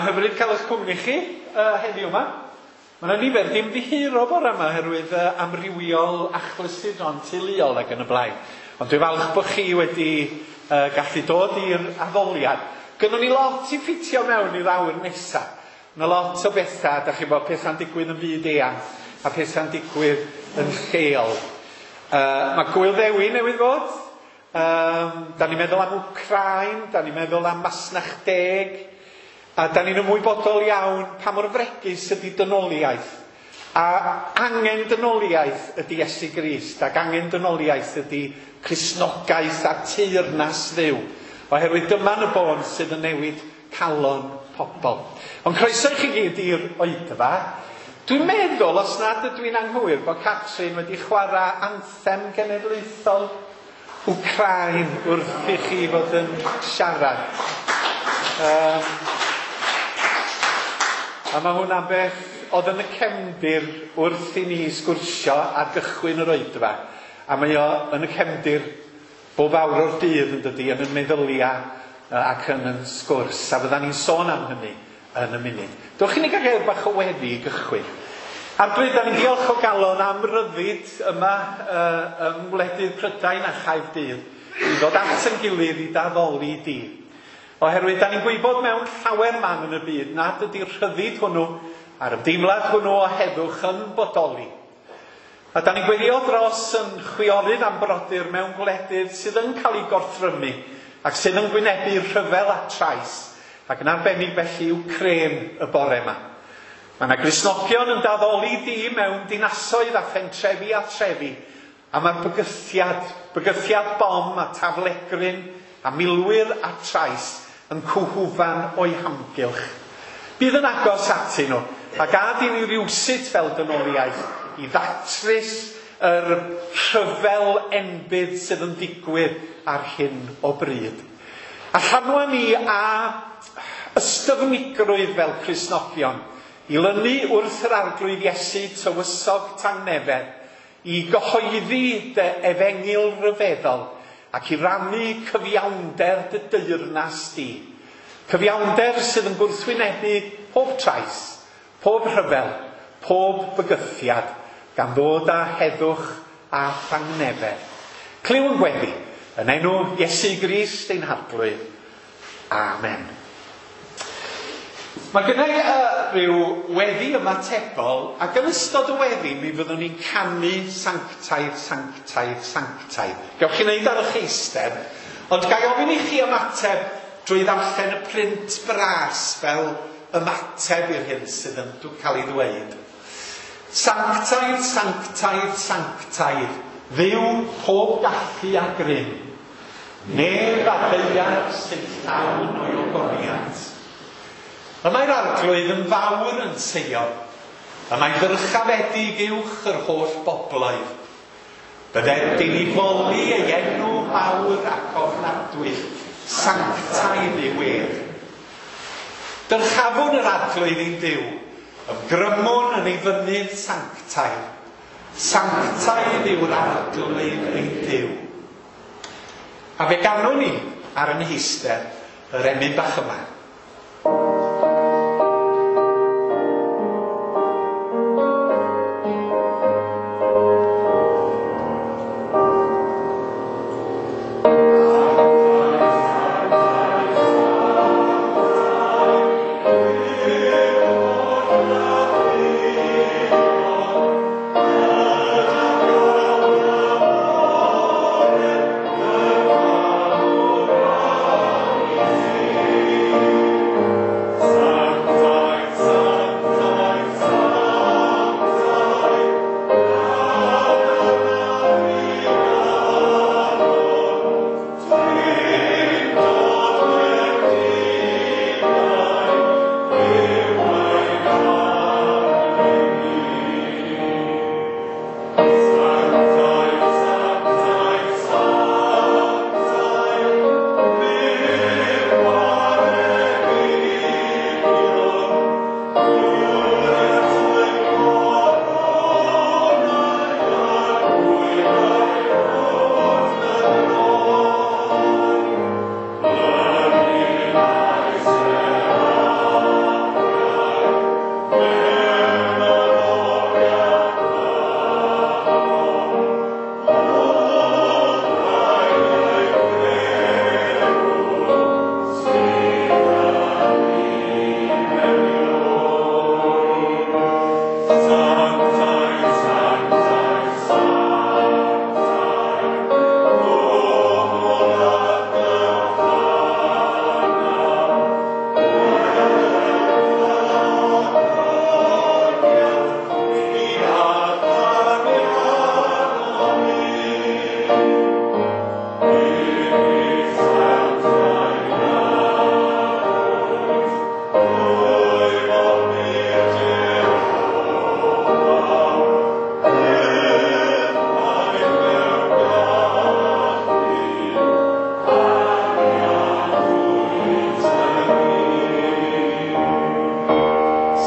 Mae'n hyfryd cael eich cwmni chi heddiw yma. Mae yna nifer dim ddiheuro bore yma oherwydd amrywiol achlysuron teuluol ac yn y blaen. Ond dwi'n falch bod chi wedi gallu dod i'r addoliad. Gynnon ni lot i ffitio mewn i'r awr nesaf. Mae lot o bethau, da chi bod pethau'n digwydd yn fyd eang a pethau'n digwydd yn lleol. Mae Gwyl Ddewi newydd fod. Da ni'n meddwl am Wcráin, da ni'n meddwl am Masnach Deg, a da ni'n ymwybodol iawn pa mor fregus ydy dynoliaeth. A angen dynoliaeth ydy Iesu Grist, ac angen dynoliaeth ydy Cristnogaeth a teyrnas Dduw. Oherwydd dyma yn y bôn sydd yn newid calon pobl. Ond croeso i chi gyd i'r oedfa. Dwi'n meddwl, os nad ydw i'n anghywir, bod Catrin wedi chwarae anthem genedlaethol Wcráin wrth i chi fod yn siarad. A mae hwnna'n beth oedd yn y cefndir wrth i ni sgwrsio ar gychwyn yr oedfa. A mae o yn y cefndir bob awr o'r dydd yn dydi, yn y meddyliau ac yn yn sgwrs. A fyddan ni'n sôn am hynny yn y munud. Dewch i ni gael gair bach o weddi i gychwyn. Arglwydd, da ni'n diolch o galon am ryddid yma yng ngwledydd Prydain a Chaerdydd i ddod at yn gilydd i daddoli di. Oherwydd da ni'n gwybod mewn llawer man yn y byd nad ydy'r rhyddid hwnnw a'r ymdeimlad hwnnw o heddwch yn bodoli. A da ni'n gweddio dros yn chwiorydd am brodyr mewn gwledydd sydd yn cael eu gorthrymu ac sydd yn gwynebu rhyfel a trais, ac yn arbennig felly Wcráin y bore yma. Mae yna Gristnogion yn daddoli di mewn dinasoedd a phentrefi a trefi, a mae'r bygythiad bom a taflegryn a milwyr a trais yn cwhwfan o'i hamgylch. Bydd yn agos atyn nhw, a gad i ni rywsut fel dynoliaeth i ddatrys yr rhyfel enbyd sydd yn digwydd ar hyn o bryd. A llanwa ni a ystyfnigrwydd fel Cristnogion, i lynu wrth yr Arglwydd Iesu tywysog tangnefedd, i gyhoeddi dy efengyl ryfeddol ac i rannu cyfiawnder dy deyrnas di. Cyfiawnder sydd yn gwrthwynebu pob trais, pob rhyfel, pob bygythiad, gan ddod â heddwch a thangnefedd. Clyw yn gweddi, yn enw Iesu Grist ein Harglwydd. Amen. Mae gynna i rhyw weddi ymatebol, ac yn ystod y weddi mi fyddwn ni'n canu sanctaidd, sanctaidd, sanctaidd. Gewch chi wneud ar eich eistedd, ond ga i ofyn i chi ymateb drwy ddarllen y print bras fel ymateb i'r hyn sydd yn cael ei ddweud. Sanctaidd, sanctaidd, sanctaidd, Dduw pob gallu a grym. Nef a ddaear sy'n llawn o'i ogoniant. Y mae'r Arglwydd yn fawr yn Seion, y mae'n ddyrchafedig uwch yr holl bobloedd. Bydded i ni foli ei enw mawr ac ofnadwy, sanctaidd yw ef. Dyrchafwn yr Arglwydd ein Duw, ymgrymwn yn ei fynydd sanctaidd. Sanctaidd yw'r Arglwydd ein Duw. A fe ganwn ni ar yn heistedd yr emyn bach yma.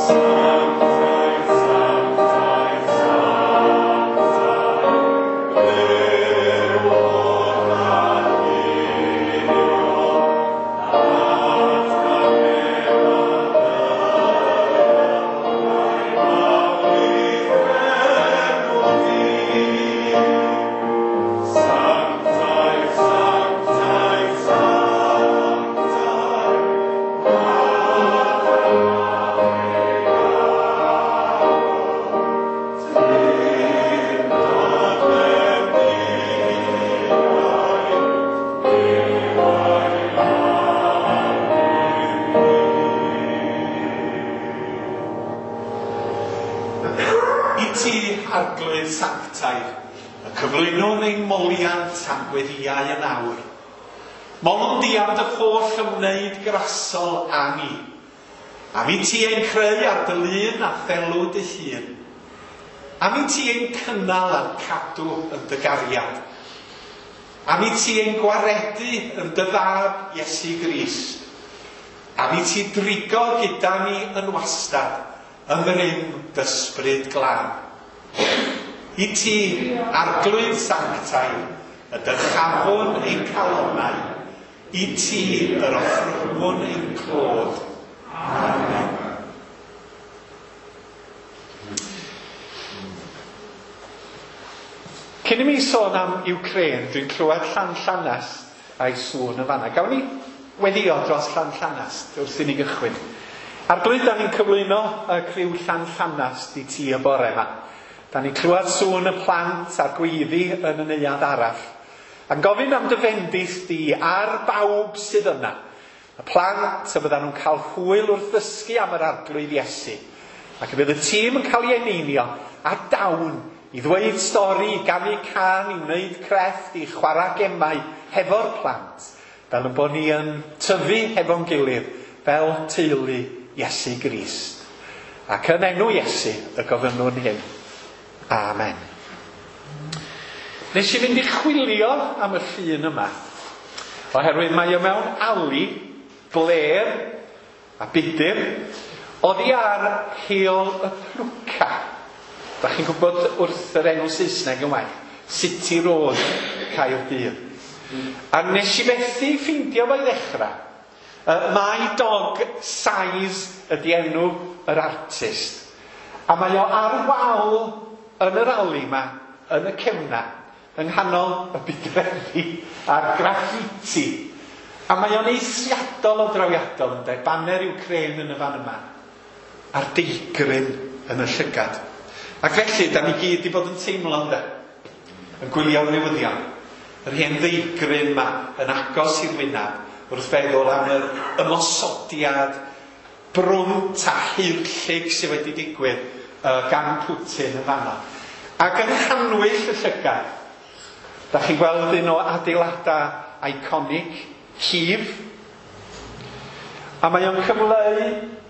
Sanctaidd, sanctaidd, sanctaidd, Duw oll-alluog, Sanctaidd, sanctaidd, sanctaidd, I ti, Arglwydd Sanctaidd, y cyflwynwn ein moliant a'n gweddïau yn awr. Molwn di am dy holl ymwneud grasol â ni. Am i ti ein creu ar dy lun a thelw dy hun. Am i ti ein cynnal a'n cadw yn dy gariad. Am i ti ein gwaredu yn dy fab Iesu Grist. Am i ti drigo gyda ni yn wastad, yng ngrym d'ysbryd glân. I ti, Arglwydd Sanctaidd, y dyrchafwn ein calonnau, i ti yr offrymwn ein clod. Amen. Cyn i mi sôn am Ukraine, dwi'n clywed Llanllanast a'i sŵn yn fanna. Gawn ni weddio dros Llanllanast wrth i ni gychwyn. Arglwydd, da ni'n cyflwyno y criw Llanllanast i ti y bore yma. Da ni'n clywed sŵn y plant a'r gweiddi yn y neuadd arall. A'n gofyn am dy fendith di ar bawb sydd yna. Y plant y byddan nhw'n cael hwyl wrth ddysgu am yr Arglwydd Iesu. Ac y bydd y tîm yn cael ei eneinio a dawn i ddweud stori, i ganu cân, i wneud crefft, i chwarae gemau hefo'r plant, fel yn bod ni yn tyfu hefo'n gilydd fel teulu Iesu Grist. Ac yn enw Iesu y gofynnwn hyn. Amen. Nes i fynd i chwilio am y llun yma, oherwydd mae o mewn ali, blêr a budur, oddi ar Heol y Plwca. Da chi'n gwybod wrth yr enw Saesneg yn well, City Road, Caerdydd. A nes i fethu ffeindio fo i ddechrau. My Dog Size ydy enw yr artist. A mae o ar wal yn yr ali yma, yn y cefna, yng nghanol y budreddi a'r graffiti. A mae o'n eithriadol o drawiadol, ynde? Baner Ukraine yn y fan yma, a'r deigryn yn y llygad. Ac felly, da ni gyd 'di bod yn teimlo, ynde? Yn gwylio'r newyddion. Yr hen ddeigryn yma yn agos i'r wyneb wrth feddwl am yr ymosodiad brwnt a haerllug sydd wedi digwydd gan Putin yn fanno. Ac yng nghanwyll y llygad, da chi'n gweld un o adeiladau iconic, Kyiv. A mae o'n cyfleu,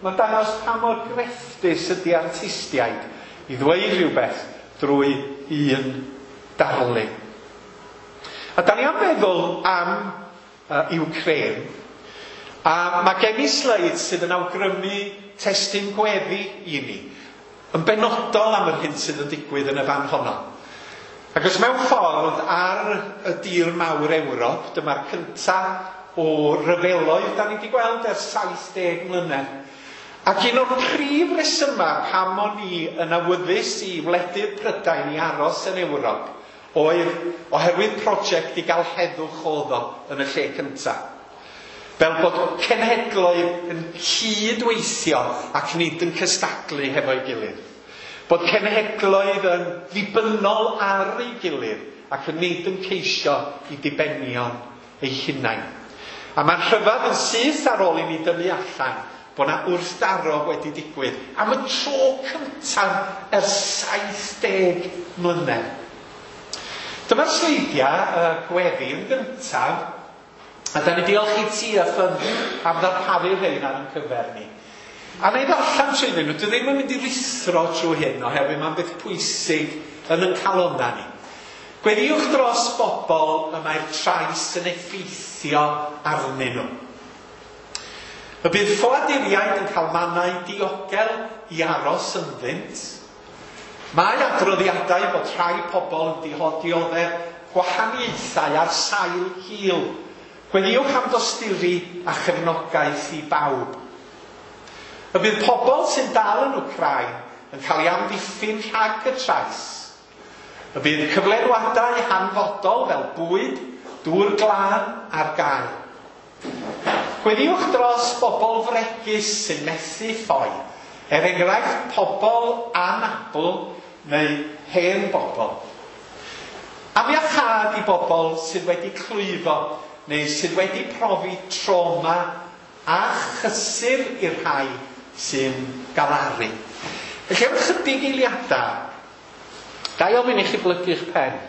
mae'n dangos pa mor grefftus ydy artistiaid i ddweud rhywbeth drwy un darlun. A da ni am feddwl am Ukraine. A mae gen i sleid sydd yn awgrymu testun gweddi i ni, yn benodol am yr hyn sydd yn digwydd yn y fan honno. Ac os mewn ffordd ar y dir mawr Ewrop, dyma'r cyntaf o ryfeloedd da ni wedi gweld ers 70 mlynedd. Ac un o'r prif resymau pam o'n i yn awyddus i wledydd Prydain i aros yn Ewrop oedd oherwydd prosiect i gael heddwch oedd o yn y lle cyntaf. Fel bod cenhedloedd yn cydweithio ac nid yn cystadlu hefo'i gilydd. Bod cenhedloedd yn ddibynnol ar ei gilydd ac yn nid yn ceisio i dibenion eu hunain. A mae'n rhyfedd yn syth ar ôl i ni dynnu allan bod 'na wrthdaro wedi digwydd am y tro cyntaf ers 70 mlynedd. Dyma'r sleidiau gweddi yn gyntaf, a da ni diolch i ti a ffyn am ddarparu rhein ar ein cyfer ni. A na i ddarllen trwyddyn nhw, dwi ddim yn mynd i ruthro trwy hyn oherwydd mae'n beth pwysig yn ein calonnau ni. Gweddiwch dros bobl y mae'r trais yn effeithio arnyn nhw. Y bydd ffoaduriaid yn cael mannau diogel i aros ynddynt. Mae adroddiadau bod rhai pobl yn dioddef gwahaniaethau ar sail hil. Gweddïwch am dosturi a chefnogaeth i bawb. Y bydd pobl sy'n dal yn Wcráin yn cael ei amddiffyn rhag y trais. Y bydd cyflenwadau hanfodol fel bwyd, dŵr glân ar gael. Gweddïwch dros bobl fregus sy'n methu ffoi, er enghraifft pobl anabl neu hen bobl. Am iachâd i bobl sydd wedi clwyfo neu sydd wedi profi trauma a chysur i'r rhai sy'n galaru. Felly am chydig eiliadau, ga i ofyn i chi blygu'ch pen.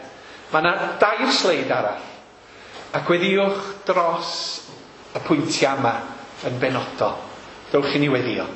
Mae yna 2 sleid arall. A gweddïwch dros y pwyntiau yma yn benodol. Dewch i ni weddio.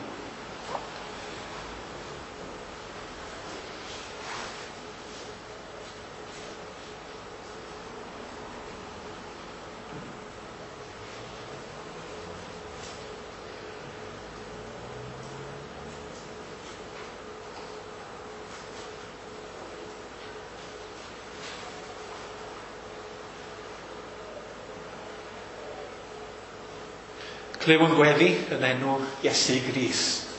Clyw yn gweddi yn enw Iesu Grist.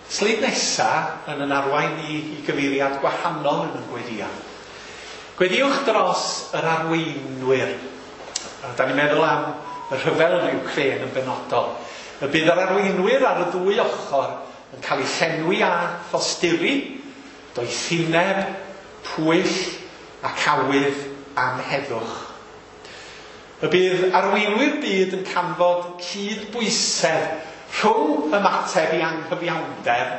Sleid nesa yn yn arwain ni i gyfeiriad gwahanol yn y gweddia. Gweddïwch dros yr arweinwyr. A da ni'n meddwl am y rhyfel yn Wcráin yn benodol. Y bydd yr arweinwyr ar y ddwy ochr yn cael eu llenwi â thosturi, doethineb, pwyll ac awydd am heddwch. Y bydd arweinwyr byd yn canfod cydbwysedd rhwng ymateb i anghyfiawnder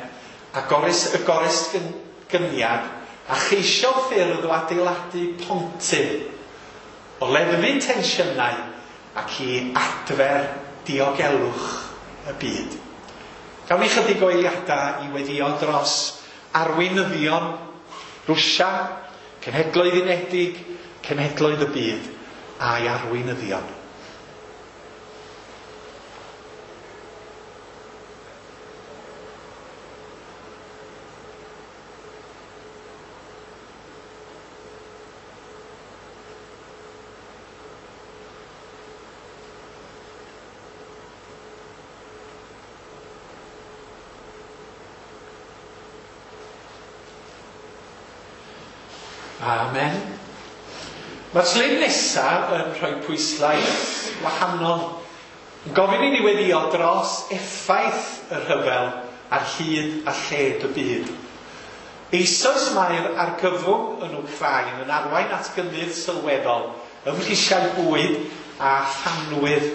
a y goresgyniad a cheisio ffyrdd o adeiladu pontydd, o leddfu tensiynau ac i adfer diogelwch y byd. Gawn ni chydig o eiliadau i weddio dros arweinyddion Rwsia, Cenhedloedd Unedig, Cenhedloedd y Byd a'i arweinyddion. Amen. Mae'r sleid nesaf yn rhoi pwyslais wahanol. Yn gofyn i ni weddio dros effaith y rhyfel ar hyd a lled y byd. Eisoes mae'r argyfwng yn Wcráin yn arwain at gynnydd sylweddol ym mhrisiau bwyd a thanwydd.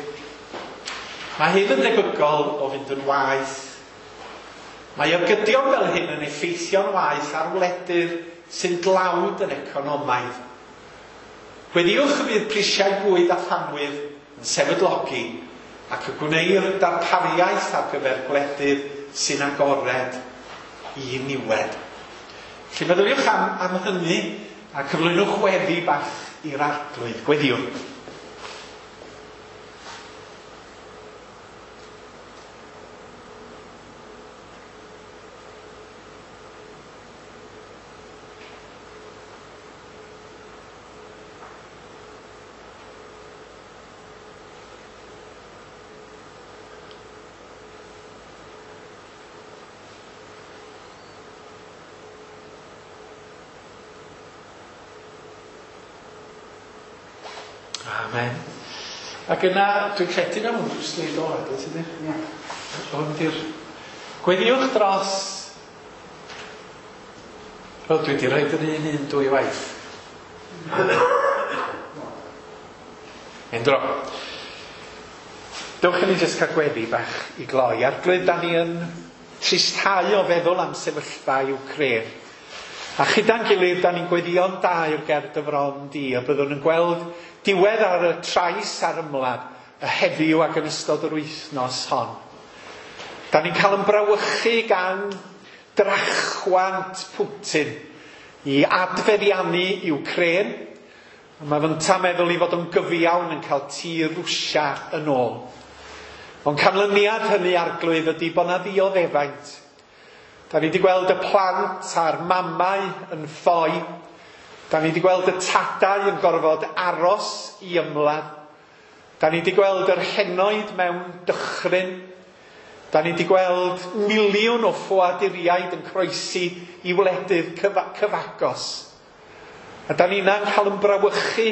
Mae hyn yn debygol o fynd yn waeth. Mae ergydion fel hyn yn effeithio'n waeth ar wledydd sy'n dlawd yn economaidd. Gweddïwch y bydd prisiau bwyd a thanwydd yn sefydlogi ac y gwneir darpariaeth ar gyfer gwledydd sy'n agored i niwed. Felly meddyliwch am hynny a cyflwynwch weddi bach i'r Arglwydd. Gweddïwch. Amen. Ac yna, dwi'n credu na hwn drwy sleid ola, dwi ti ddim? Ie. Hwn di'r... Gweddïwch dros... O, dwi wedi rhoid yr un dwy waith. Endro. Dewch i ni jyst cael gweddi bach i gloi. Arglwydd, da ni yn tristhau o feddwl am sefyllfa Wcráin. A chyda'n gilydd, da ni'n gweddïo'n daer ger dy fron di, a byddwn yn gweld diwedd ar y trais a'r ymladd y heddiw ac yn ystod yr wythnos hon. Da ni'n cael yn brawychu gan drachwant Putin i adfeddiannu Wcráin. A mae fynta meddwl i fod yn gyfiawn yn cael tir Rwsia yn ôl. Ond canlyniad hynny, Arglwydd, ydy bod 'na ddioddefaint. Da ni wedi gweld y plant a'r mamau yn ffoi. Da ni wedi gweld y tadau yn gorfod aros i ymladd. Da ni wedi gweld yr henoed mewn dychryn. Da ni wedi gweld miliwn o ffoaduriaid yn croesi i wledydd cyfagos. A da ni'n cael yn brawychu,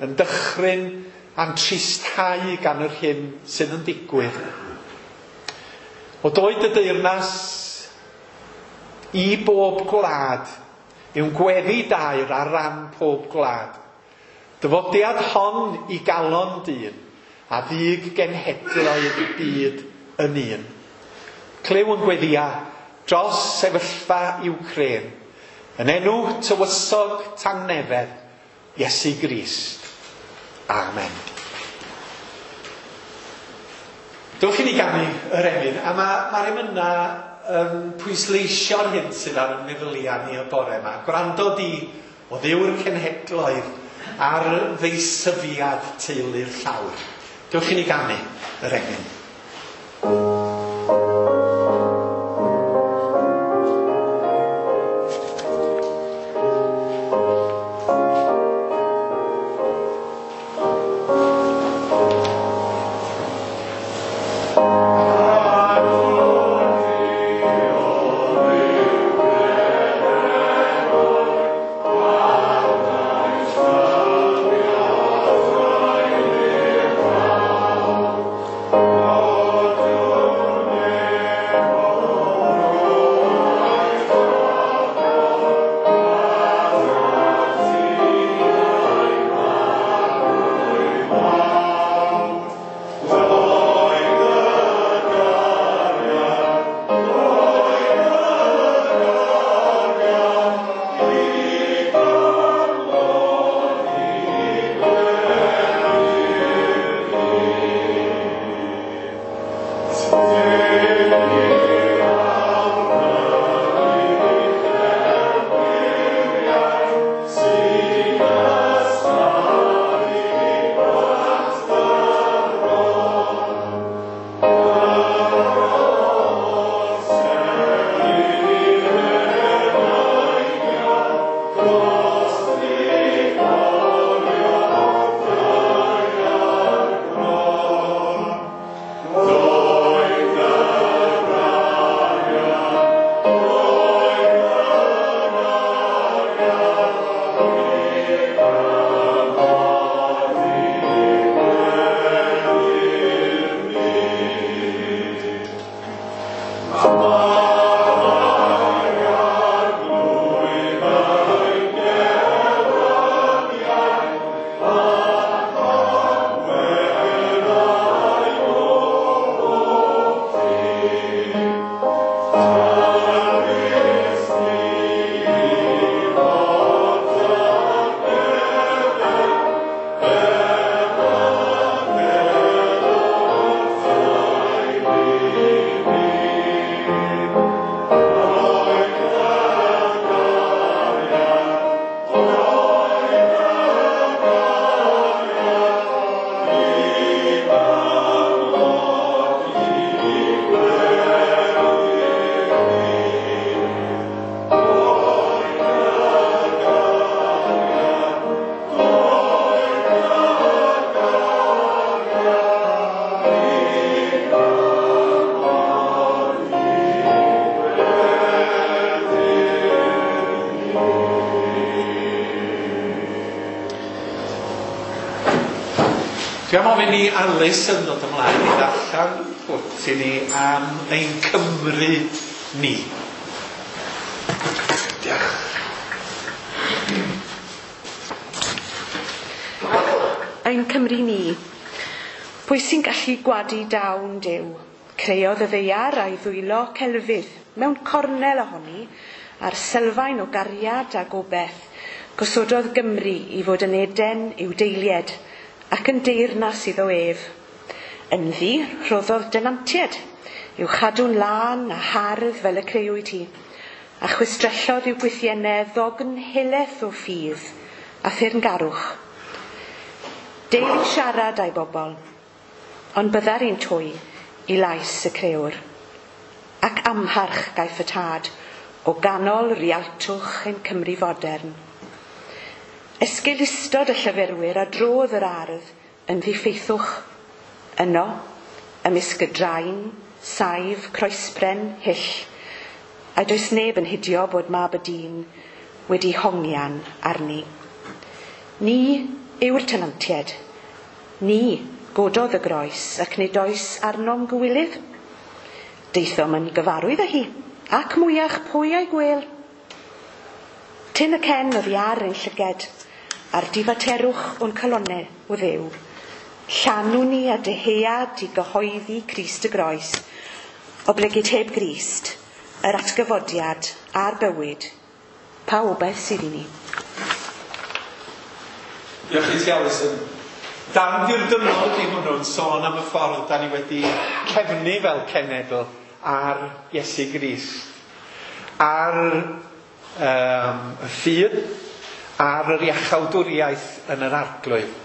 yn dychryn, a'n tristhau gan yr hyn sydd yn digwydd. O doed y deyrnas i bob gwlad, yw'n gweddi dair ar ran pob gwlad. Dyfodiad hon i galon dyn, a ddig genhedloedd y byd yn un. Clyw yn gweddia dros sefyllfa Wcráin, yn enw tywysog tangnefedd, Iesu Grist. Amen. Dewch i ni ganu yr emyn, a mae'r emyna yn pwysleisio'r hyn sydd ar y meddyliau ni y bore yma. Gwrando di o Dduw'r cenhedloedd ar ddeisyfiad teulu'r llawr. Dewch i ni ganu yr emyn. Dwi am ofyn i Alice yn dod ymlaen i ddarllen pwt i ni am ein Cymru ni. Diolch. Ein Cymru ni. Pwy sy'n gallu gwadu dawn Duw? Creodd y ddaear a'i ddwylo celfydd mewn cornel ohoni a'r sylfaen o gariad a gobeith. Gosododd Gymru i fod yn Eden i'w deilied ac yn deyrnas iddo ef. Ynddi rhoddodd denantiaid i'w chadw'n lân a hardd fel y creuwyd hi, a chwistrellodd i'w gwythiennau ddogn helaeth o ffydd a theyrngarwch. Deil siarad â'i bobl, ond byddar un twy i lais y crewr, ac amharch gaiff y tad o ganol rialtwch ein Cymru fodern. Esgeulustod y llyfurwyr a drodd yr ardd yn ddiffeithwch. Yno, ymysg y drain, saif, croesbren, hyll, a does neb yn hidio bod mab y dyn wedi hongian arni. Ni yw'r tenantiaid. Ni gododd y groes ac nid oes arnom gywilydd. Daethom yn gyfarwydd â hi, ac mwyach pwy a'i gwel. Tyn y cen oddi ar ein llyged, a'r difaterwch o'n calonnau o Dduw. Llanw ni a dyhead i gyhoeddi Crist y groes, oblegid heb Grist, yr atgyfodiad a'r bywyd, pa obaith sydd i ni? Diolch i ti, Alison. Dan dirdynnol ydy hwnnw'n sôn am y ffordd da ni wedi cefnu fel cenedl ar Iesu Grist, ar y ffydd, ar yr iachawdwriaeth yn yr Arglwydd.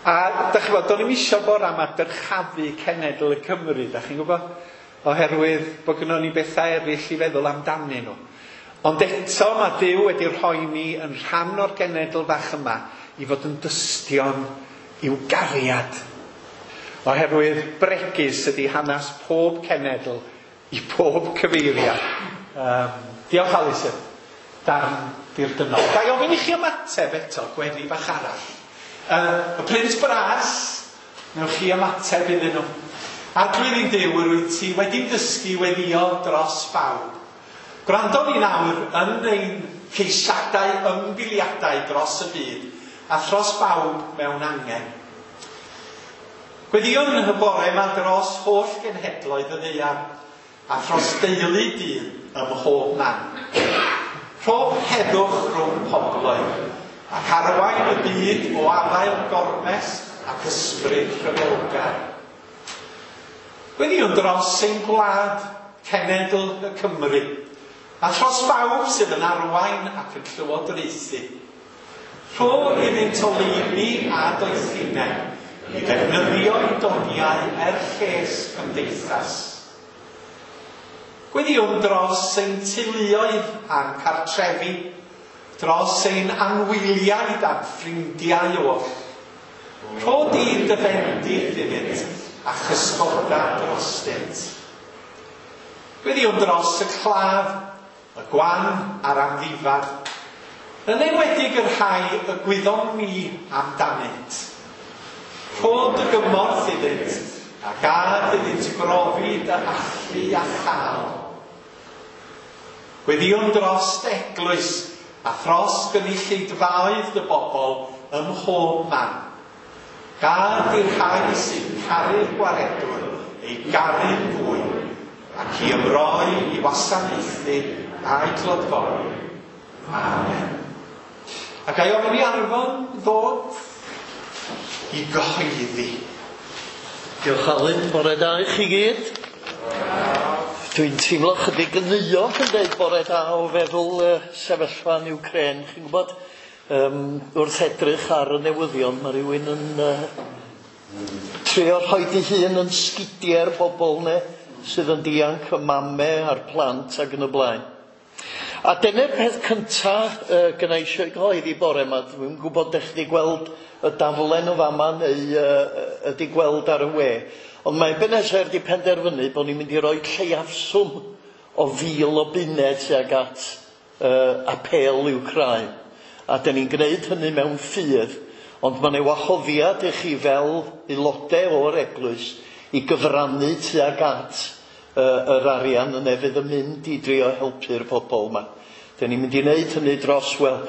A da chi'n gwybod, do'n i'm isio bora yma dyrchafu cenedl y Cymru, da chi'n gwybod? Oherwydd bod gynnon ni bethau eraill i feddwl amdanyn nhw. Ond eto mae Duw wedi rhoi ni yn rhan o'r genedl fach yma i fod yn dystion i'w gariad. Oherwydd bregus ydy hanes pob cenedl i pob cyfeiriad. Diolch Alison. Darn dirdynnol. Ga i ofyn i chi ymateb eto, gweddi bach arall. Y Print Bras, newch chi ymateb iddyn nhw. Arglwydd ein Duw, yr wyt ti wedi'n dysgu weddio dros bawb. Gwrando ni nawr yn ein ceisiadau ymbiliadau dros y byd a thros bawb mewn angen. Gweddïwn yn y bore yma dros holl genhedloedd y ddaear a thros deulu dyn ym mhob man. Rho heddwch rhwng pobloedd ac arwain y byd o afael gormes ac ysbryd rhyfelgar. Gweddïwn dros ein gwlad, cenedl y Cymru, a thros bawb sydd yn arwain ac yn llywodraethu. Rho iddynt oleuni a doethineb i ddefnyddio eu doniau er lles cymdeithas. Gweddïwn dros ein teuluoedd a'n cartrefi, dros ein anwyliaid a'n ffrindiau oll. Rho di dy fendith iddynt a chysgoda drostynt. Gweddïwn dros y claf, y gwan a'r amddifad, yn enwedig y rhai y gwyddom ni amdanynt. Rho dy gymorth iddynt, a gad iddynt brofi dy allu a chael. Gweddïwn dros dy eglwys a thros gynulleidfaoedd dy bobl ym mhob man. Gad i'r rhai sy'n caru'r gwaredwr ei garu'n fwy ac i ymroi i wasanaethu a'i clodfori. Amen. A ga i ofyn i Arfon ddod i gyhoeddi. Diolch Alun, bore da i chi gyd. Dwi'n teimlo chydig yn euog yn dweud bore da o feddwl sefyllfa yn Ukraine. Chi'n gwybod, wrth edrych ar y newyddion, mae rhywun yn trio rhoi ei hun yn sgidiau'r bobl ne, sydd yn dianc, y mame a'r plant ac yn y blaen. A dyna'r peth cynta gynna i eisiau gyhoeddi bore yma. Dwi'n gwybod dych chi wedi gweld y daflen o fama neu ydi gweld ar y we. Ond mae Ebenezer wedi penderfynu bod ni'n mynd i roi lleiafswm o 1,000 o bunnau tuag at apêl Wcráin. A dyn ni'n gwneud hynny mewn ffydd, ond mae 'na wahoddiad i chi fel aelodau o'r eglwys i gyfrannu tuag at yr arian yna fydd yn mynd i drio helpu'r pobl yma. Dyn ni'n mynd i wneud hynny dros, wel,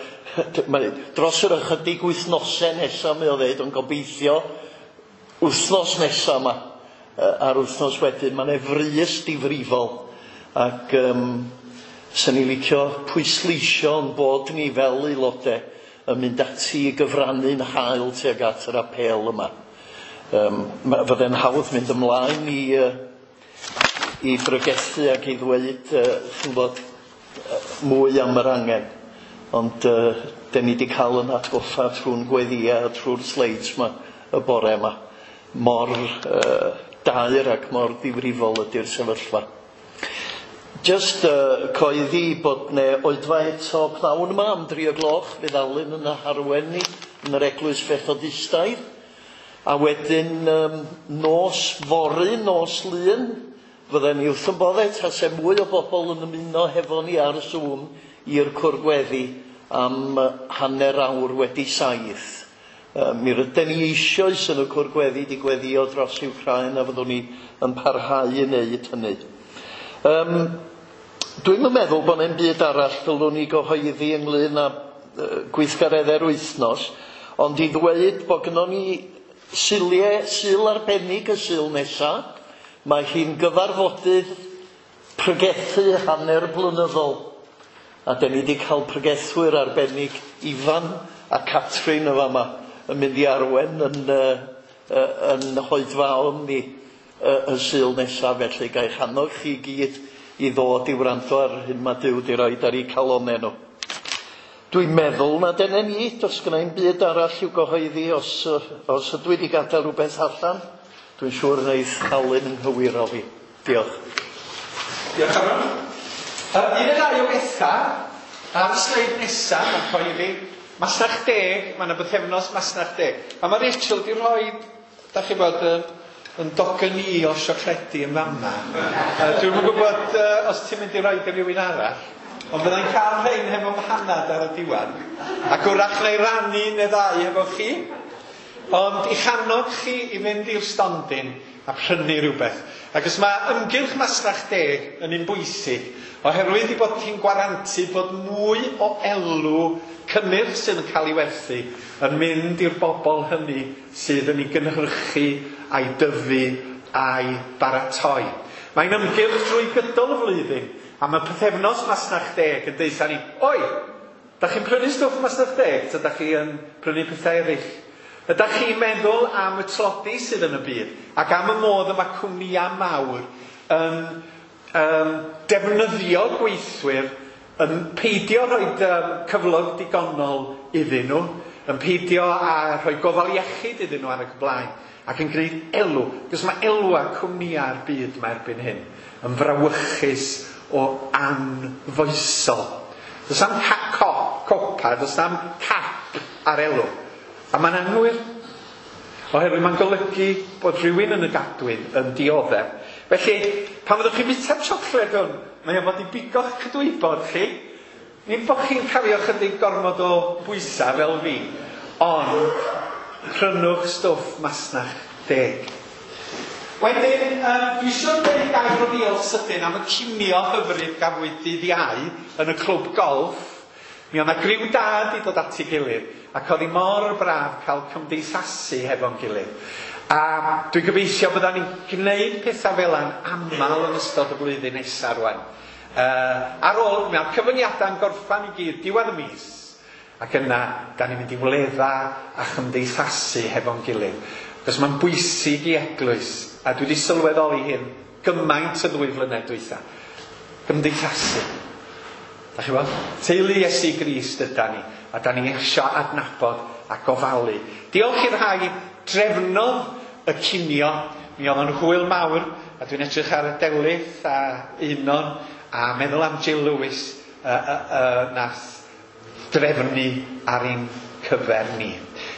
dros yr ychydig wythnosau nesaf, mae o ddeud, ond gobeithio wythnos nesaf yma, a'r wythnos wedyn, mae 'na frys difrifol. Ac swn i'n licio pwysleisio yn bod ni fel aelodau yn mynd ati i gyfrannu'n hael tuag at yr apêl yma. Fydde'n hawdd mynd ymlaen i bregethu ac i ddweud chi'n gwybod, mwy am yr angen. Ond dyn ni wedi cael yn atgoffa trwy'n gweddïau a trwy'r sleids yma y bore yma. Mor daer ac mor ddifrifol ydy'r sefyllfa. Just coeddi bod ne oedfa eto pnawn yma am 3 o gloch, fydd Alun yn arwen ni yn yr Eglwys Fethodistaidd. A wedyn nos fory, nos Lun, fydden ni wrth yn boddau tase mwy o bobl yn ymuno hefo ni ar Zoom i'r cwrdd am 7:30. Mi rydyn ni eisoes yn y cwrdd gweddi di gweddio dros Wcráin a fyddwn ni yn parhau i wneud hynny. Dwi'm yn meddwl bod 'na'm byd arall ddylwn ni gyhoeddi ynglyn â gweithgareddau'r wythnos, ond i ddweud bod gynnon ni Suliau, Sul arbennig y Sul nesa, mae hi'n gyfarfodydd pregethu hanner blynyddol. A dan ni wedi cael pregethwyr arbennig Ifan a Catrin y fama yn mynd i arwen yn hoedfaon ni y Sul nesa, felly ga'i hannog chi gyd i ddod i wrando ar hyn mae Duw wedi roid ar eu calonnau nhw. Dwi'n meddwl na dyna ni, does gynna i'm byd arall i'w gyhoeddi os ydw i wedi gadael rhywbeth allan. Dwi'n siŵr wneith Alun yn nghywiro fi. Diolch. Diolch Aron. Un neu ddau o bethau ar y sleid nesaf, mae'n cyhoeddi Masnach Deg, mae yna bythefnos Masnach Deg. A mae Rachel wedi rhoi, da chi bod, yn dogen i o siocledi yn fama. Dwi'm yn gwybod os ti'n mynd i roi i rywun arall, ond fyddai'n cael rhain hefo mhanad ar y diwedd. Ac wrach neu rannu neu ddau hefo chi. Ond i'ch annog chi i fynd i'r stondin a prynu rhywbeth. Ac os mae ymgyrch Masnach Deg yn un bwysig, oherwydd i bod hi'n gwarantu bod mwy o elw cynnyrch sydd yn cael ei werthu yn mynd i'r bobl hynny sydd yn ei gynhyrchu a'i dyfu a'i baratoi. Mae'n ymgyrch drwy gydol y flwyddyn, a mae pythefnos Masnach Deg yn deutha ni, oi, da chi'n prynu stwff Masnach Deg, ta da chi yn prynu pethau eraill? Ydach chi'n meddwl am y tlodi sydd yn y byd, ac am y modd y mae cwmnïau mawr yn defnyddio gweithwyr, yn peidio rhoi cyflog digonol iddyn nhw, yn peidio a rhoi gofal iechyd iddyn nhw ar y blaen, ac yn gwneud elw, cos mae elwa cwmnïau'r byd mae erbyn hyn yn frawychus o anfoesol. Does am copa, does am cap ar elw. A mae'n anghywir, oherwydd mae'n golygu bod rhywun yn y gadwyn yn dioddef. Felly, pan fyddwch chi'n bwyta'r siocled hwn, mae o fod i bigo'ch cydwybod chi. Nid bod chi'n cario chydig gormod o bwysau fel fi, ond prynwch stwff Masnach Deg. Wedyn, dwi eisiau dweud gair o ddiolch sydyn am y cinio hyfryd gafwyd dydd Iau yn y clwb golf. Mi oedd 'na griw da wedi dod at ei gilydd, ac oedd hi mor braf cael cymdeithasu hefo'n gilydd. A dwi'n gobeithio byddan ni'n gwneud pethau fel yna'n aml yn ystod y flwyddyn nesaf rwan. Ar ôl, mae'r cyfyngiadau'n gorffan i gyd diwedd y mis, ac yna, da ni'n mynd i wledda a chymdeithasu hefo'n gilydd. Cos mae'n bwysig i eglwys, a dwi wedi sylweddoli hyn gymaint y 2 flynedd dwytha. Gymdeithasu. Da chi bod? Teulu Iesu Grist yda ni, a da ni eisiau adnabod a gofalu. Diolch i'r rhai drefnodd y cinio, mi oedd o'n hwyl mawr, a dwi'n edrych ar y Delyth a Unon, a meddwl am Jill Lewis nath drefnu ar ein cyfer ni.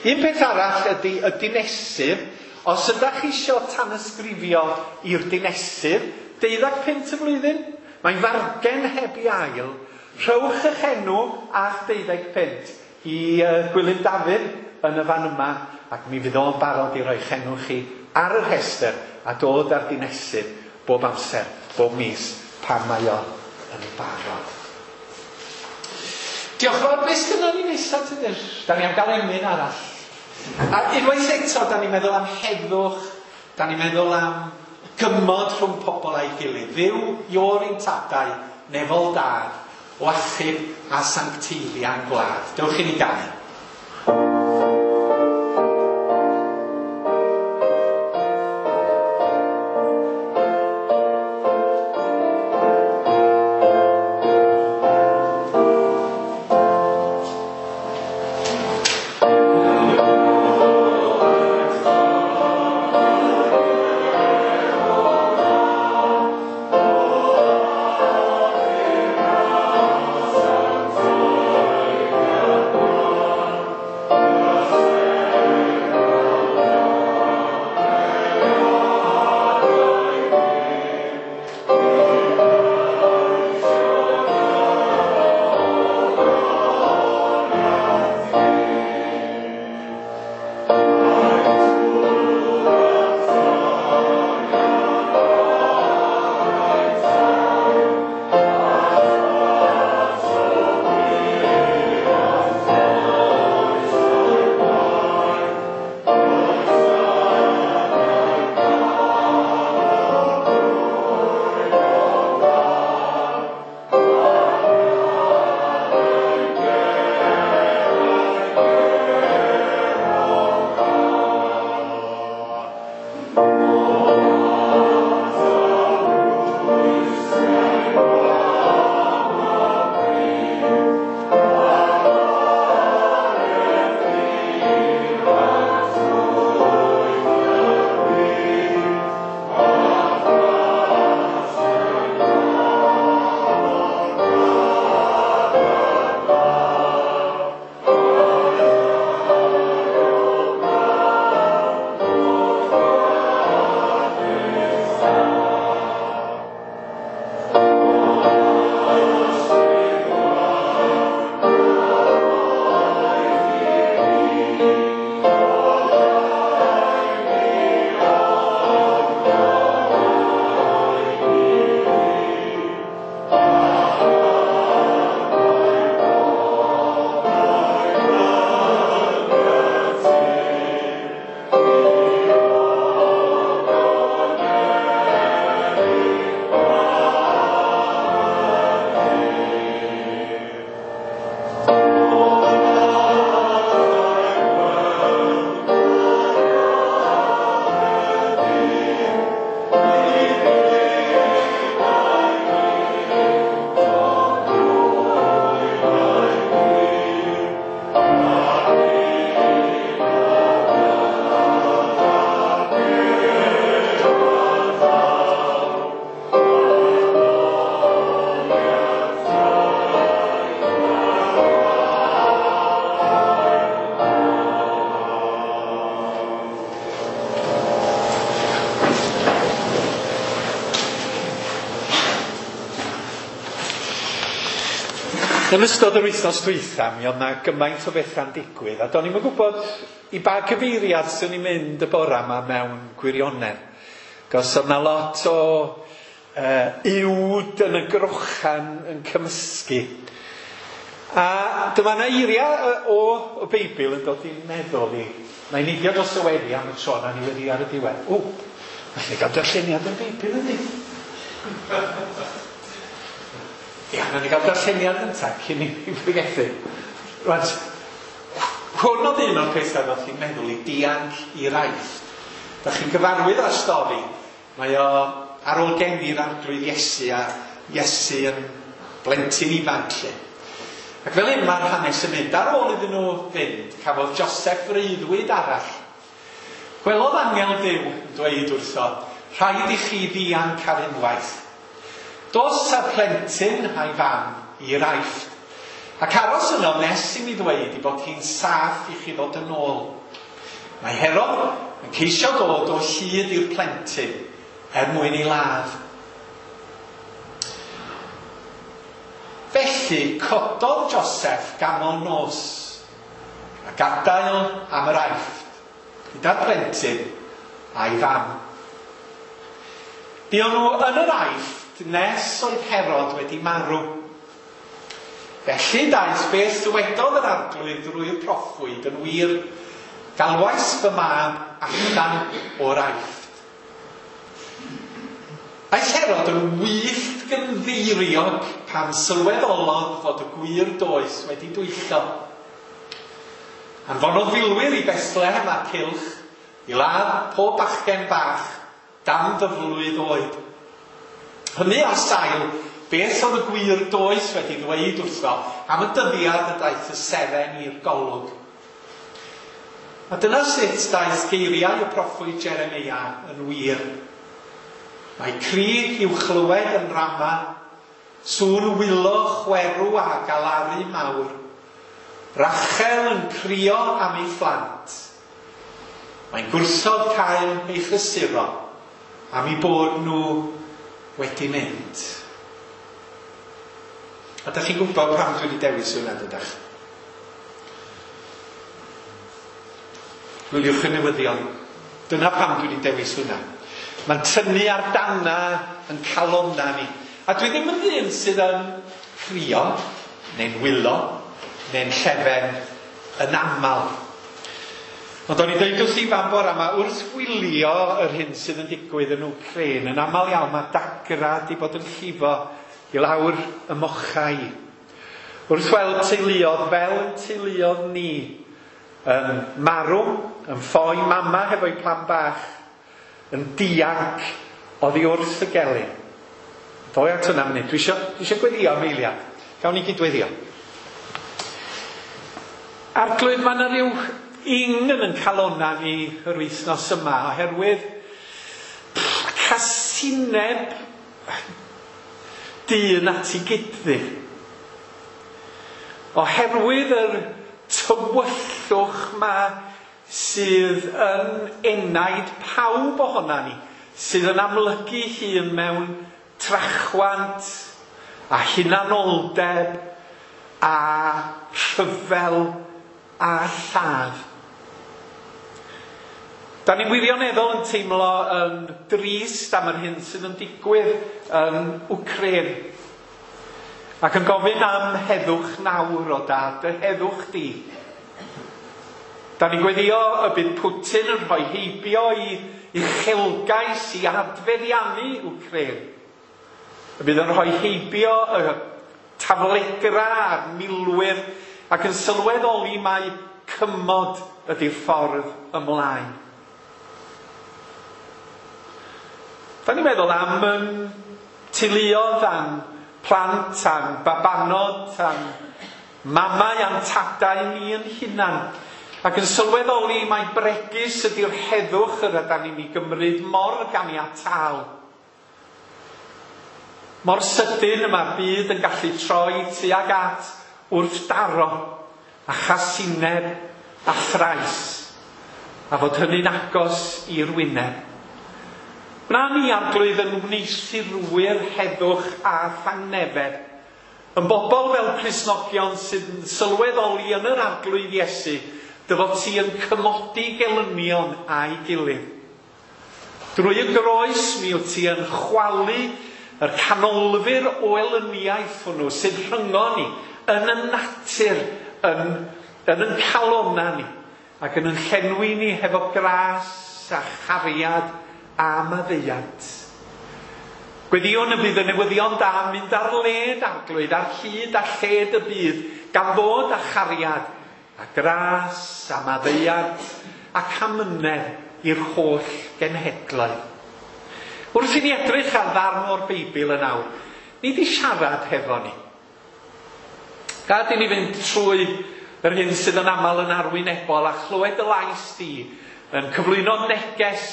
Un peth arall ydy y dinesydd. Os ydych chi eisiau tanysgrifio i'r dinesydd, 12 punt y flwyddyn, mae'n fargen heb i ail. Rhowch eich enw a'ch 12 punt i Gwilym Dafydd yn y fan yma, ac mi fydd o'n barod i roi'ch enw chi ar y rhestr a dod ar dinesydd bob amser, bob mis, pan mae o yn barod. Diolch fawr. Beth sgynnon ni nesaf, Tudur? Da ni am gael emyn arall. A unwaith eto, da ni'n meddwl am heddwch, da ni'n meddwl am gymod rhwng pobl a'i gilydd. Dduw Ior ein tadau, nefol dad, o achub a sancteiddia'n gwlad. Dewch i ni ganu. Yn ystod yr wythnos dwytha, mi oedd 'na gymaint o bethau'n digwydd, a do'n i'm yn gwybod i ba gyfeiriad swn i'n mynd y bora yma mewn gwirionedd. Cos oedd 'na lot o uwd yn y grochan yn cymysgu. A dyma 'na eiriau o y Beibl yn dod i'n meddwl i. Na i neidio dros y weddi am y tro, na ni weddi ar y diwedd. O, felly gael darlleniad o'r Beibl yndi? Ia, nawn ni gael darlleniad gynta cyn i mi pregethu. Rŵan, hwn oedd un o'r pethau ddoth i'n meddwl i, dianc i'r Aifft. Da chi'n gyfarwydd â'r stori. Mae o ar ôl geni'r Arglwydd Iesu a Iesu yn blentyn ifanc 'lly. Ac fel hyn mae'r hanes yn mynd. Ar ôl iddyn nhw fynd, cafodd Joseph freuddwyd arall. Gwelodd angel Duw yn dweud wrtho, Rhaid i chi ddianc ar unwaith. Dos â'r plentyn a'i fam i'r Aifft, ac aros yno nes i mi ddweud ei bod hi'n saff i chi ddod yn ôl. Mae Herod yn ceisio dod o hyd i'r plentyn er mwyn ei ladd. Felly cododd Joseff ganol nos, a gadael am yr Aifft, gyda'r plentyn a'i fam. Buon nhw yn yr Aifft nes oedd Herod wedi marw. Felly daeth beth ddywedodd yr Arglwydd drwy'r proffwyd yn wir, Galwais fy mab allan o'r Aifft. Aeth Herod yn wyllt gynddeiriog pan sylweddolodd fod y gwir doeth wedi dwyllo. Anfonodd filwyr i Bethlehem a'r cylch i ladd pob bachgen bach dan ddyflwydd oed. Hynny ar sail beth oedd y gwir doeth wedi ddweud wrtho am y dyddiad y daeth y seren i'r golwg. A dyna sut daeth geiriau y proffwyd Jeremeia yn wir. Mae cri i'w chlywed yn Rama, sŵn wylo chwerw a galaru mawr. Rachel yn crio am ei phlant. Mae'n gwrthod cael ei chysuro am eu bod nhw wedi mynd. A dach chi'n gwybod pam dwi wedi dewis hwnna, dydach? Gwyliwch y newyddion. Dyna pam dwi wedi dewis hwnna. Mae'n tynnu ar dana yn calonna ni. A dwi ddim yn ddyn sydd yn crio, neu'n wylo, neu'n llefen yn aml. Ond o'n i'n dweud wrth Ifan bore yma, wrth wylio yr hyn sydd yn digwydd yn Wcráin, yn aml iawn mae dagra di bod yn llifo i lawr y mochau. Wrth weld teuluodd fel yn teuluodd ni, yn marw, yn ffoi mama hefo'i plant bach, yn dianc oddi wrth y gelyn. Doi at hwnna munud. Dwi eisiau gweddio am eiliad. Gawn ni gydweddio. Arglwydd, mae yna rhyw ing yn yn calonna ni yr wythnos yma oherwydd casineb dyn at ei gyddu. Oherwydd yr tywyllwch ma sydd yn enaid pawb ohona ni, sydd yn amlygu hun mewn trachwant a hunanoldeb a rhyfel a lladd. Da ni'n wirioneddol yn teimlo yn drist am yr hyn sydd yn digwydd yn Wcráin. Ac yn gofyn am heddwch nawr o dad, dy heddwch di. Da ni'n gweddio y bydd Putin yn rhoi heibio i uchelgais i adfeddiannu Wcráin. Y bydd yn rhoi heibio y taflegra a'r milwyr ac yn sylweddoli mai cymod ydy'r ffordd ymlaen. Da ni'n meddwl am yn teuluodd, am plant, am babanod, am mamau, am tadau ni yn hunan. Ac yn sylweddoli mai bregus ydy'r heddwch yr ydan ni'n ei gymryd mor ganiataol. Mor sydyn y mae'r byd yn gallu troi tuag at wrthdaro a chasineb a thrais, a fod hynny'n agos i'r wyneb. Wna ni, Arglwydd, yn wneuthurwyr heddwch a thangnefedd, Yn bobl fel Cristnogion sydd yn sylweddoli yn yr Arglwydd Iesu, dy fod ti yn cymodi gelynion a'i gilydd. Drwy y groes mi wyt ti yn chwalu yr canolfur o elyniaeth hwnnw sydd rhyngo ni, yn y natur, yn yn calona ni, ac yn yn llenwi ni hefo gras a chariad a maddeuant. Gweddïwn y bydd y newyddion da yn mynd ar led Arglwydd, ar hyd a lled y byd, gan ddod â chariad, a gras, a maddeuant, ac amynedd i'r holl genhedloedd. Wrth i ni edrych ar ddarn o'r Beibl yn awr, ni di siarad hefo ni. Gad i ni fynd trwy yr hyn sydd yn aml yn arwynebol a chlywed y lais di yn cyflwyno neges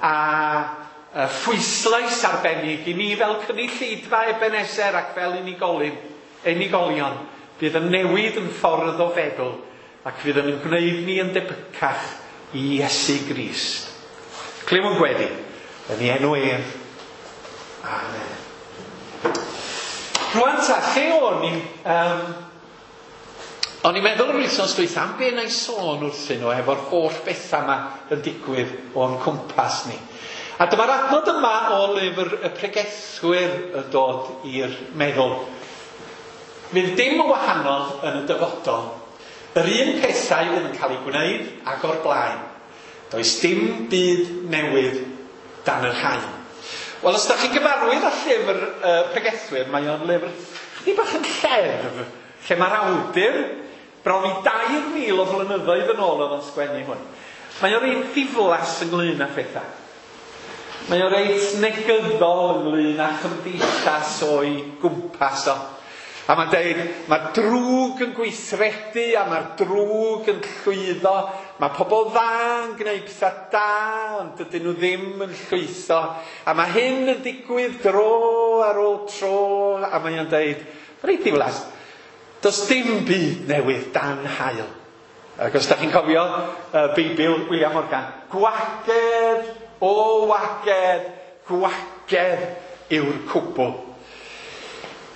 a phwyslais arbennig i ni fel cynulleidfa Ebeneser ac fel unigolion fydd yn newid yn ffordd o feddwl ac fydd yn gwneud ni yn debycach i Iesu Grist. Clywn gweddi yn ei enw ef. Amen. Rwan ta, lle o'n i? O'n i'n meddwl yr wythnos dwytha am be na i sôn wrthyn nhw efo'r holl bethau yma yn digwydd o'n cwmpas ni. A dyma'r adnod yma o lyfr y pregethwyr yn dod i'r meddwl. Fydd dim yn wahanol yn y dyfodol. Yr un pethau fydd yn cael eu gwneud ag o'r blaen. Does dim byd newydd dan yr haul. Wel, os da chi'n gyfarwydd â llyfr pregethwyr, mae o'n lyfr chydig bach yn lleddf, lle mae'r awdur bron i 2,000 o flynyddoedd yn ôl oedd o'n sgwennu hwn. Mae o'n reit ddiflas ynglyn â phethau. Mae o'n reit negyddol ynglyn â chymdeithas o'i gwmpas o. A mae'n deud, mae'r drwg yn gweithredu a mae'r drwg yn llwyddo. Mae pobl dda yn gwneud pethau da, ond dydyn nhw ddim yn llwyddo. A mae hyn yn digwydd dro ar ôl tro, a mae o'n deud, reit ddiflas, does dim byd newydd dan haul. Ac os da chi'n cofio Beibl William Morgan, gwagedd o wagedd, gwagedd yw'r cwbl.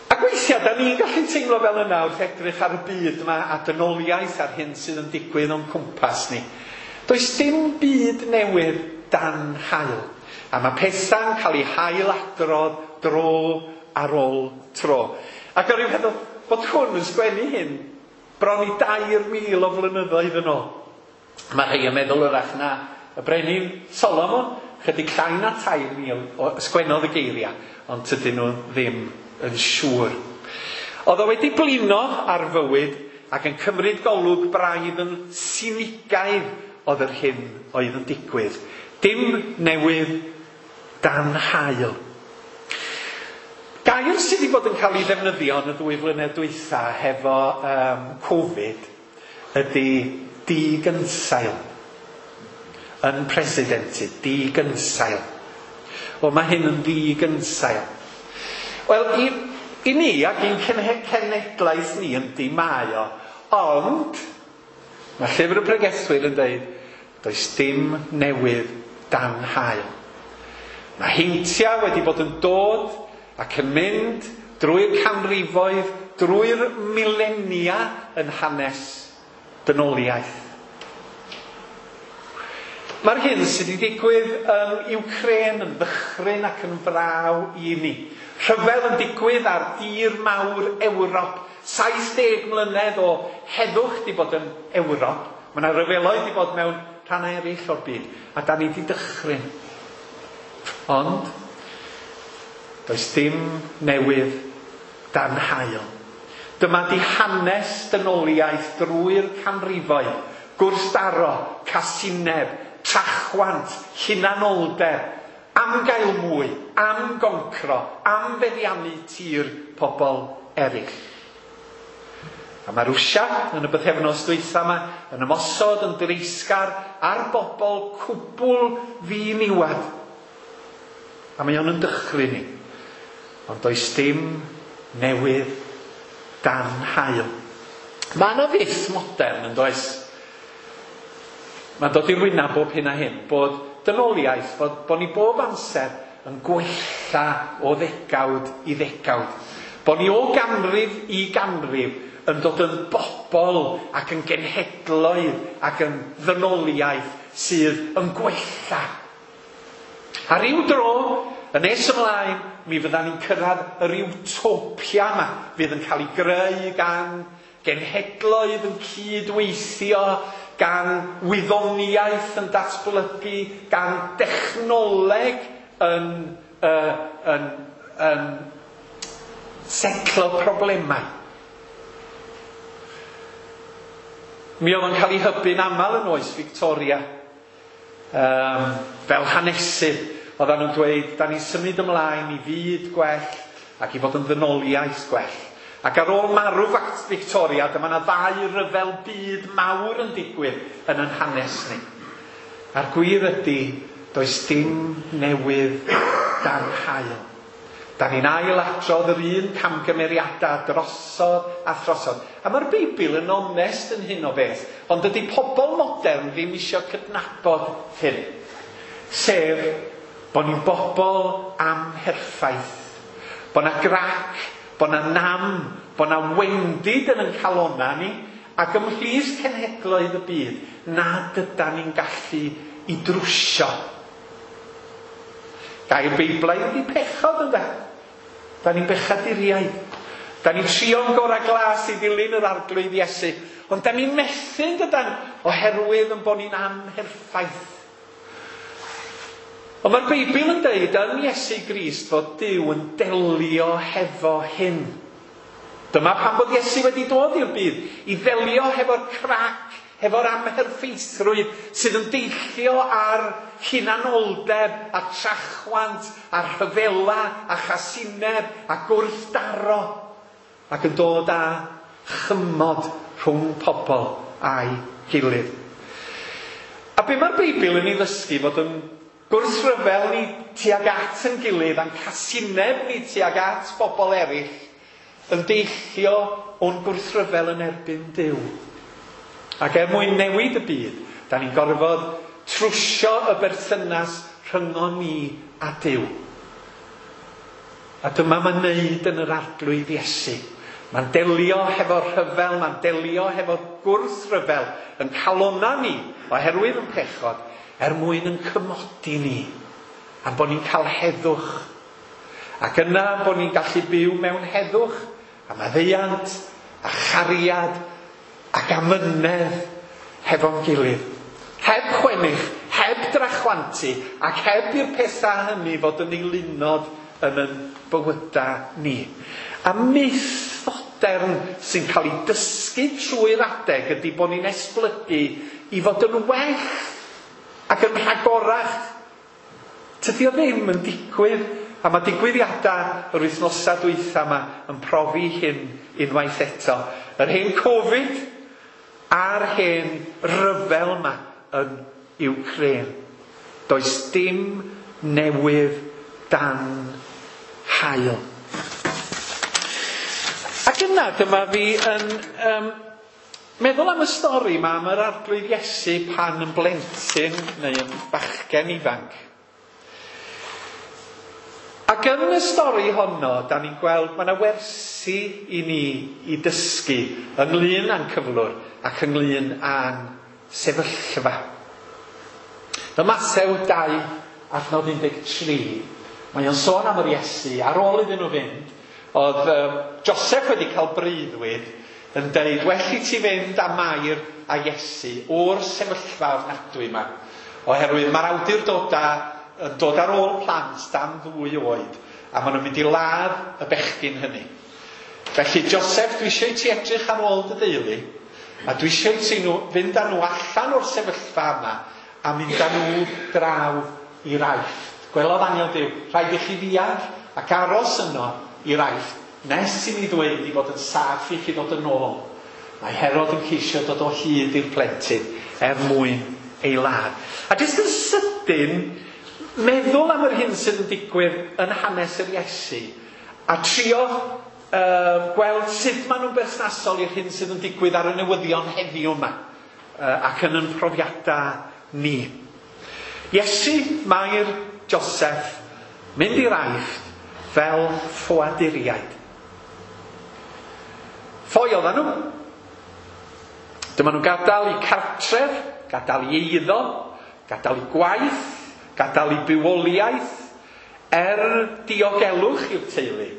Ac weithiau, da ni'n gallu teimlo fel yna wrth edrych ar y byd yma a dynoliaeth ar hyn sydd yn digwydd o'n cwmpas ni. Does dim byd newydd dan haul. A mae pethau'n cael eu hailadrodd dro ar ôl tro. Ac o'n i'n meddwl bod hwn yn sgwennu hyn bron i 2,000 o flynyddoedd yn ôl. Mae rhai yn meddwl wrach na y brenin Solomon, chydig llai na 3,000 o sgwennodd y geiriau, ond tydyn nhw ddim yn siŵr. Oedd o wedi blino ar fywyd ac yn cymryd golwg braidd yn sinigaidd oedd yr hyn oedd yn digwydd. Dim newydd dan haul. Gair sydd wedi bod yn cael ei ddefnyddio yn y 2 flynedd dwytha hefo Covid ydy digynsail. Unprecedented, digynsail. Wel, mae hyn yn ddigynsail. Wel, i ni ac i'n cenhedlaeth ni yndi mae o, ond mae llyfr y pregethwyr yn dweud, does dim newydd dan haul. Mae heintiau wedi bod yn dod ac yn mynd drwy'r canrifoedd, drwy'r milenia yn hanes dynoliaeth. Mae'r hyn sydd wedi digwydd yn Ukraine yn ddychryn ac yn fraw i ni. Rhyfel yn digwydd ar dir mawr Ewrop. 70 mlynedd o heddwch wedi bod yn Ewrop. Mae yna ryfeloedd wedi bod mewn rhannau eraill o'r byd. A da ni wedi dychryn. Ond does dim newydd dan haul. Dyma di hanes dynoliaeth drwy'r canrifoedd. Gwrthdaro, casineb, trachwant, hunanoldeb, am gael mwy, am goncro, am feddiannu tir pobl eraill. A mae Rwsia yn y bythefnos dwytha yma yn ymosod yn dreisgar ar bobl cwbl ddiniwad. A mae o'n yn dychryn ni. Ond does dim newydd dan haul. Mae yna fyth modern yn does? Mae'n dod i'r wyneb bob hyn a hyn, bod dynoliaeth, bod ni bob amser yn gwella o ddegawd i ddegawd. Bo ni o ganrif i ganrif yn dod yn bobl ac yn genhedloedd ac yn ddynoliaeth sydd yn gwella. A ryw dro, yn nes ymlaen, mi fyddan ni'n cyrraedd yr utopia yma fydd yn cael ei greu gan genhedloedd yn cydweithio, gan wyddoniaeth yn datblygu, gan dechnoleg yn setlo problemau. Mi oedd o'n cael ei hybu'n aml yn oes Victoria. Fel hanesydd, oedden nhw'n dweud, da ni'n symud ymlaen i fyd gwell ac i fod yn ddynoliaeth gwell. Ac ar ôl marw Victoria, dyma yna ddau ryfel byd mawr yn digwydd yn yn hanes ni. A'r gwir ydy, does dim newydd dan haul. Da ni'n ailadrodd yr un camgymeriadau drosodd a throsodd. A mae'r Beibl yn onest yn hyn o beth, ond dydy pobl modern ddim eisiau cydnabod hyn. Sef, bod ni'n bobl amherffaith. Bod na grac, bod na nam, bod na wendid yn ein calona ni, ac ymhlith cenhedloedd y byd, nad ydan ni'n gallu i drwsio. Gair Beiblaidd ydy pechod, ynde? Da ni'n bechaduriaid. Da ni'n trio'n gorau glas i ddilyn yr Arglwydd Iesu. Ond da ni'n methu, dydan, oherwydd yn bod ni'n amherffaith. Ond mae'r Beibl yn deud yn Iesu Grist fod Duw yn delio hefo hyn. Dyma pam bod Iesu wedi dod i'r byd, i ddelio hefo'r crac, hefo'r amherffeithrwydd sydd yn deillio ar hunanoldeb a trachwant a rhyfela a chasineb a gwrthdaro ac yn dod â chymod rhwng pobl a'i gilydd. A be mae'r Beibl yn ei ddysgu fod yn gwrthryfel ni tuag at yn gilydd a'n casineb ni tuag at bobl eraill yn deillio o'n gwrthryfel yn erbyn Duw. Ac er mwyn newid y byd, da ni'n gorfod trwsio y berthynas rhyngon ni a Duw. A dyma mae'n neud yn yr Arglwydd Iesu. Mae'n delio hefo'r rhyfel, mae'n delio hefo'r gwrthryfel yn calona ni oherwydd yn pechod, er mwyn yn cymodi ni, a bod ni'n cael heddwch. Ac yna bod ni'n gallu byw mewn heddwch, a maddeuant, a chariad, ac amynedd hefo'n gilydd. Heb chwennych, heb drachwantu, ac heb i'r pethau hynny fod yn eilunod yn yn bywydau ni. A myth fodern sy'n cael ei dysgu trwy'r adeg ydy bod ni'n esblygu i fod yn well ac yn rhagorach. Tydi o ddim yn digwydd, a mae digwyddiadau yr wythnosau dwytha yma yn profi hyn unwaith eto. Yr hen Covid a'r hen ryfel yma yn Ukraine. Does dim newydd dan haul. Ac yna dyma fi yn meddwl am y stori yma am yr Arglwydd Iesu pan yn blentyn neu yn bachgen ifanc. Ac yn y stori honno, da ni'n gweld mae yna wersi i ni i dysgu ynglyn â'n cyflwr ac ynglyn â'n sefyllfa. Ym Mathew 2, adnod 13, mae o'n sôn am yr Iesu. Ar ôl iddyn nhw fynd, oedd Joseph wedi cael breuddwyd yn deud, well i ti fynd â Mair a Iesu o'r sefyllfa ofnadwy yma, oherwydd mae'r awdurdodau yn dod ar ôl plant dan 2 oed, a maen nhw'n mynd i ladd y bechgyn hynny. Felly, Joseph, dwi eisiau i ti edrych ar ôl dy deulu, a dwi eisiau i ti fynd â nhw allan o'r sefyllfa yma, a mynd â nhw draw i'r Aifft. Gwelodd angel Duw, rhaid i chi ddianc ac aros yno i'r Aifft, nes i mi ddweud i fod yn saff i chi ddod yn ôl. Mae Herod yn ceisio dod o hyd i'r plentyn er mwyn ei ladd. A jyst yn sydyn, meddwl am yr hyn sydd yn digwydd yn hanes yr Iesu, a trio gweld sut maen nhw'n berthnasol i'r hyn sydd yn digwydd ar y newyddion heddiw yma, ac yn ein profiadau ni. Iesu, Mair, Joseph, mynd i'r Aifft fel ffoaduriaid. Ffoi oedden nhw. Dyma nhw'n gadael eu cartref, gadael eu eiddo, gadael eu gwaith, gadael eu bywoliaeth, er diogelwch i'r teulu,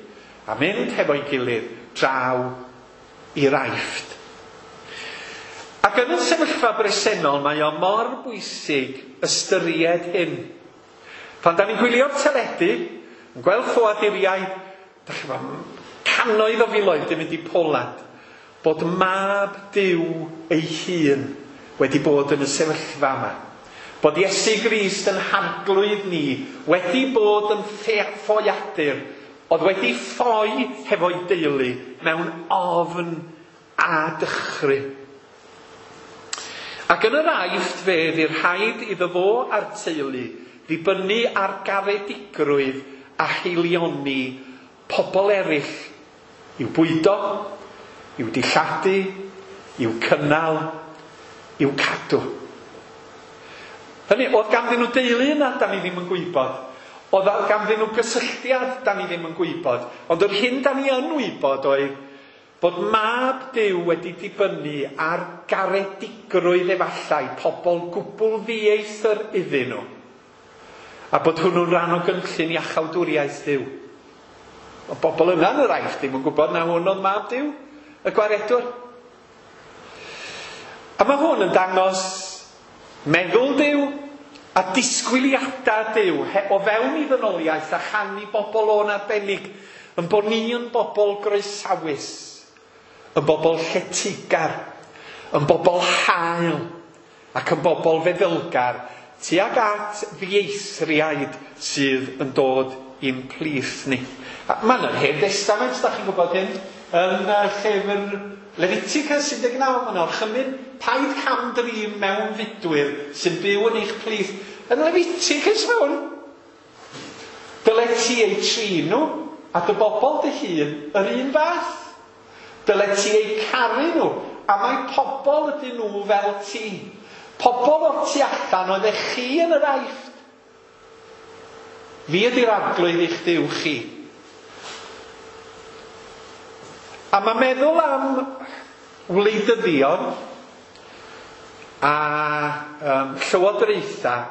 a mynd hefo'i gilydd draw i'r Aifft. Ac yn y sefyllfa bresennol mae o mor bwysig ystyried hyn. Pan da ni'n gwylio'r teledu, yn gweld ffoaduriaid, da chi'n gwybod, cannoedd o filoedd di mynd i Poland, bod mab Duw ei hun wedi bod yn y sefyllfa yma. Bod Iesu Grist yn harglwydd ni wedi bod yn ffoadur, oedd wedi ffoi hefo'i deulu mewn ofn a dychryn. Ac yn yr Aifft fe fydd rhaid iddo fo a'r teulu ddibynnu ar garedigrwydd a haelioni pobl eraill i'w bwydo, i'w dilladu, i'w cynnal, i'w cadw. Hynny, oedd ganddyn nhw deulu yna, da ni ddim yn gwybod. Oedd ganddyn nhw gysylltiad, da ni ddim yn gwybod. Ond yr hyn da ni yn wybod oedd bod mab Duw wedi dibynnu ar garedigrwydd efallai pobl gwbl ddieithr iddyn nhw. A bod hwnnw'n rhan o gynllun iachawdwriaeth Duw. O bobl yna yn yr Aifft ddim yn gwybod na hwn oedd mab Duw, y gwaredwr. A mae hwn yn dangos meddwl Duw a disgwyliadau Duw o fewn i ddynoliaeth a chan i bobl o'n arbennig, yn bod ni yn bobl groesawus, yn bobl lletygar, yn bobl hael ac yn bobl feddylgar tuag at ddieithriaid sydd yn dod i'n plith ni. Mae'n yr Hen Destament, da chi'n gwybod hyn, yn llyfr Leviticus 19, mae'n orchymyn paid cam-drin mewn fudwyr sy'n byw yn eich plith. Yn Leviticus mae hwn. Dyle ti eu trin nhw a dy bobl dy hun yr un fath. Dyle ti eu caru nhw, a mae pobl ydyn nhw fel ti. Pobl o'r tu allan oeddech chi yn yr Aifft. Fi ydy'r arglwydd eich Duw chi. A mae meddwl am wleidyddion a llywodraethau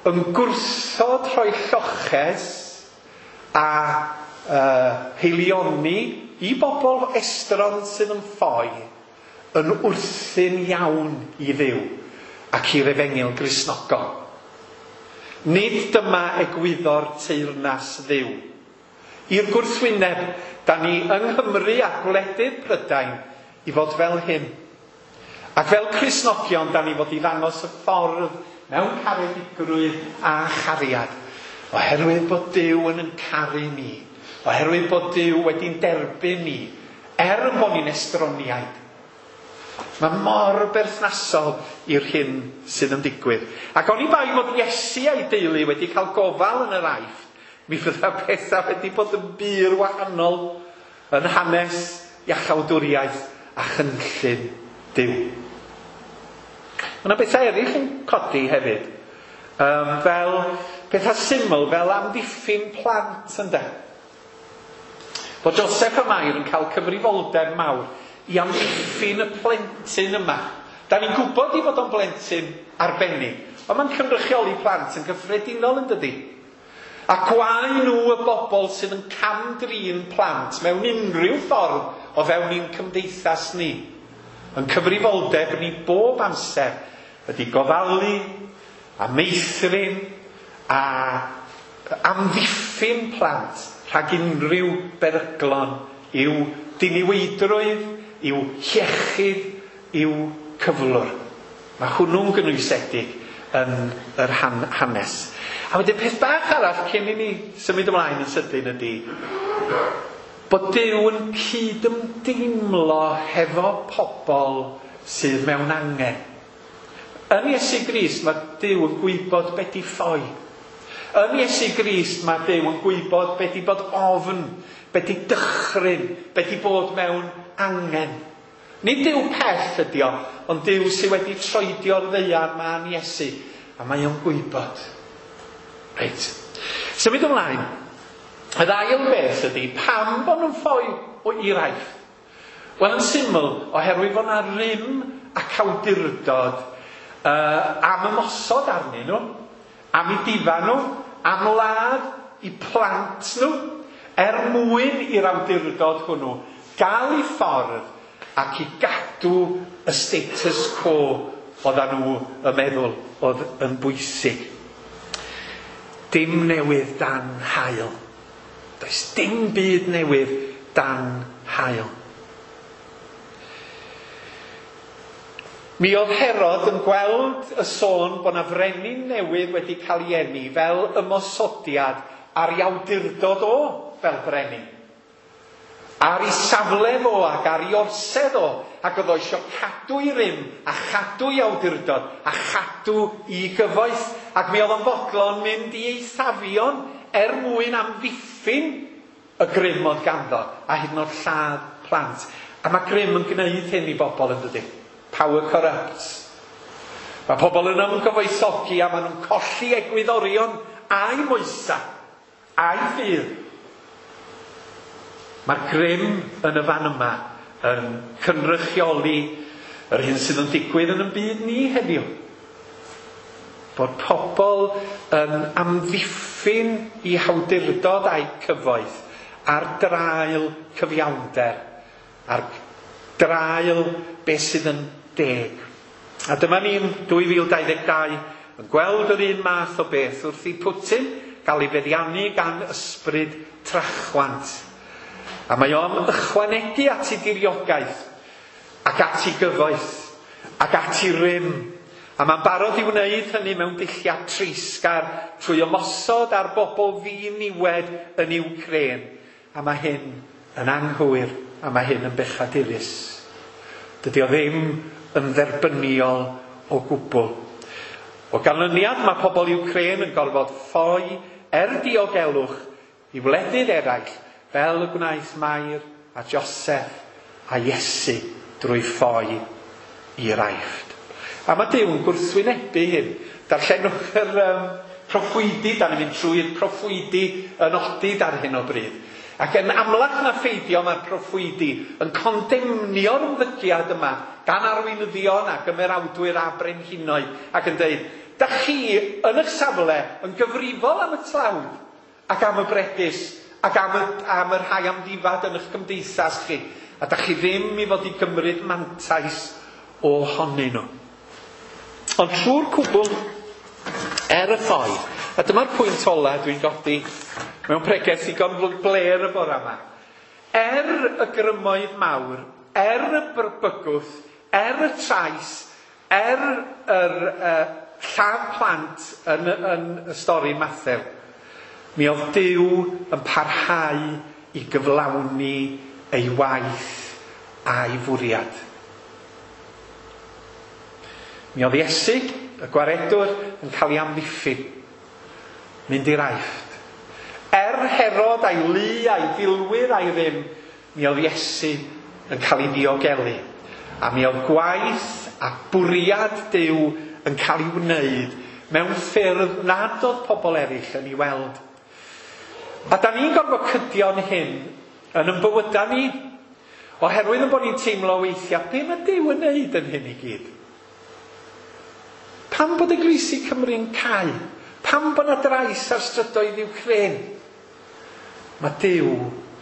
yn gwrthod rhoi lloches a haelioni i bobl estron sydd yn ffoi yn wrthyn iawn i Dduw ac i'r efengyl Gristnogol. Nid dyma egwyddor teyrnas Dduw. I'r gwrthwyneb, da ni yng Nghymru a gwledydd Prydain i fod fel hyn. Ac fel Cristnogion, da ni fod i ddangos y ffordd mewn caredigrwydd a chariad. Oherwydd bod Duw yn caru ni. Oherwydd bod Duw wedi'n derbyn ni, er yn bod ni'n estroniaid. Mae mor berthnasol i'r hyn sydd yn digwydd. Ac oni bai fod Iesu a'i deulu wedi cael gofal yn yr Aifft, mi fydda pethau wedi bod yn bur wahanol yn hanes iachawdwriaeth a chynllun Duw. Mae yna bethau eraill yn codi hefyd, fel pethau syml fel amddiffyn plant, ynde. Bod Joseph a Mair yn cael cyfrifoldeb mawr i amddiffyn y plentyn yma. Da ni'n gwybod i fod o'n blentyn arbennig, ond mae'n cynrychioli plant yn gyffredinol, yn dydi? A gwae nhw y bobl sydd yn cam-drin plant mewn unrhyw ffordd o fewn ein cymdeithas ni. Yn cyfrifoldeb ni bob amser ydy gofalu a meithrin a amddiffyn plant rhag unrhyw beryglon i'w diniweidrwydd, i'w hiechyd, i'w cyflwr. Mae hwnnw'n gynwysedig yn yr hanes. A wedyn peth bach arall cyn i ni symud ymlaen yn sydyn ydy bod Duw yn cydymdeimlo hefo pobl sydd mewn angen. Yn Iesu Grist mae Duw yn gwybod be di ffoi. Yn Iesu Grist mae Duw yn gwybod be di bod ofn, be di dychryn, be di bod mewn angen. Nid Duw pell ydi o, ond Duw sydd wedi troedio'r ddaear ma'n Iesu, a mae o'n gwybod. Reit. Symud ymlaen. Yr ail beth ydy pam bod nhw'n ffoi i'r Aifft. Wel, yn syml, oherwydd fod 'na rym ac awdurdod am ymosod arnyn nhw, am eu difa nhw, am ladd eu plant nhw, er mwyn i'r awdurdod hwnnw gael ei ffordd ac i gadw y status quo oeddan nhw yn meddwl oedd yn bwysig. Dim newydd dan haul. Does dim byd newydd dan haul. Mi oedd Herod yn gweld y sôn bod 'na frenin newydd wedi cael ei eni fel ymosodiad ar ei awdurdod o fel brenin. Ar ei safle fo ac ar ei orsedd o, ac oedd o eisiau cadw ei rym a chadw ei awdurdod a chadw ei gyfoeth, ac mi oedd o'n fodlon mynd i eithafion er mwyn amddiffyn y grym oedd ganddo, a hyd yn oed lladd plant. A mae grym yn gwneud hyn i bobl, yn dydy? Power corrupts. Mae pobl yn ymgyfoethogi a maen nhw'n colli egwyddorion a'u moesau, a'u ffydd. Mae'r grym yn y fan yma yn cynrychioli yr hyn sydd yn digwydd yn y byd ni heddiw. Bod pobl yn amddiffyn eu hawdurdod a'u cyfoeth ar draul cyfiawnder, ar draul beth sydd yn deg. A dyma ni'n 2022 yn gweld yr un math o beth wrth i Putin gael ei feddiannu gan ysbryd trachwant. A mae o'n ychwanegu at ei diriogaeth ac at ei gyfoeth ac at ei rym. A mae'n barod i wneud hynny mewn dulliau treisgar trwy ymosod ar bobl ddiniwed yn Iwcrên. A mae hyn yn anghywir a mae hyn yn bechadurus. Dydy o ddim yn dderbyniol o gwbl. O ganlyniad, mae pobl Iwcrên yn gorfod ffoi er diogelwch i wledydd eraill, fel y gwnaeth Mair a Joseph a Iesu drwy ffoi i'r Aifft. A mae Duw yn gwrthwynebu hyn. Darllenwch yr proffwydi, da ni'n mynd trwy'r proffwydi yn odid ar hyn o bryd. Ac yn amlach na pheidio mae'r proffwydi yn condemnio'r ymddygiad yma gan arweinyddion ac ymerawdwyr a brenhinoedd ac yn dweud, da chi yn eich safle yn gyfrifol am y tlawd ac am y bregus ac am y rhai amddifad yn eich cymdeithas chi, a da chi ddim i fod i gymryd mantais ohonyn nhw. Ond trwy'r cwbl, er y ffoi, a dyma'r pwynt ola dwi'n godi mewn pregeth ddigon blêr y bore yma, er y grymoedd mawr, er y bygwth, er y trais, er yr lladd plant yn y stori Mathew, mi oedd Duw yn parhau i gyflawni ei waith a'i fwriad. Mi oedd Iesu, y gwaredwr, yn cael ei amddiffyn, mynd i'r Aifft. Er Herod a'i lu a'i filwyr a'i rym, mi oedd Iesu yn cael ei ddiogelu. A mi oedd gwaith a bwriad Duw yn cael ei wneud mewn ffyrdd nad oedd pobl eraill yn ei weld. A da ni'n gorfod cydio'n hyn yn ein bywydau ni, oherwydd yn bod ni'n teimlo weithiau, be mae Duw yn wneud yn hyn i gyd? Pam bod Eglwysi Cymru'n cau? Pam bod 'na drais ar strydoedd Iwcrên? Mae Duw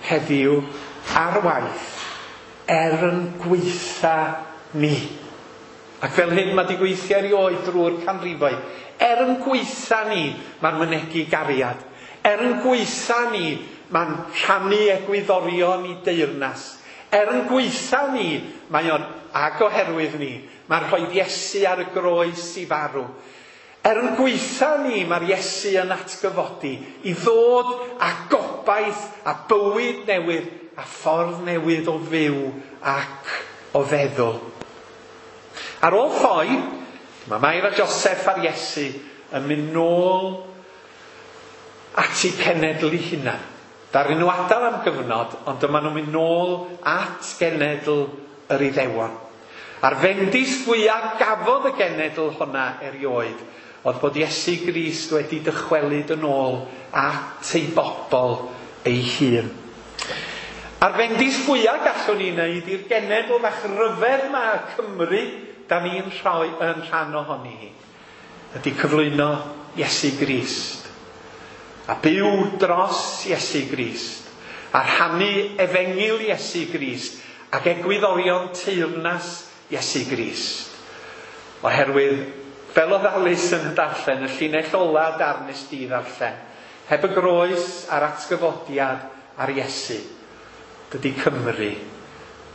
heddiw ar waith er yn gweitha ni. Ac fel hyn mae 'di gweithio erioed drwy'r canrifoedd. Er yn gweitha ni, mae'n mynegi gariad. Er yn gweitha ni, mae'n rhannu egwyddorion i deyrnas. Er yn gweitha ni, mae o'n, ag oherwydd ni, mae'n rhoi Iesu ar y groes i farw. Er yn gweitha ni, mae'r Iesu yn atgyfodi i ddod â gobaith a bywyd newydd a ffordd newydd o fyw ac o feddwl. Ar ôl ffoi, mae Mair a Joseph a'r Iesu yn mynd nôl at eu cenedl eu hunan. Daru nhw adael am gyfnod, ond dyma nhw'n mynd nôl at genedl yr Iddewon. A'r fendith fwyaf gafodd y genedl honna erioed oedd bod Iesu Grist wedi dychwelyd yn ôl at ei bobl ei hun. A'r fendith fwyaf gallwn ni wneud i'r genedl fach ryfedd ma Cymru, da ni'n rhoi yn rhan ohoni hi, ydy cyflwyno Iesu Grist. A byw dros Iesu Grist. A rhannu efengyl Iesu Grist ac egwyddorion teyrnas Iesu Grist. Oherwydd, fel oedd Alys yn darllen, y llinell ola darn nes di ddarllen, heb y groes a'r atgyfodiad ar Iesu, dydy Cymru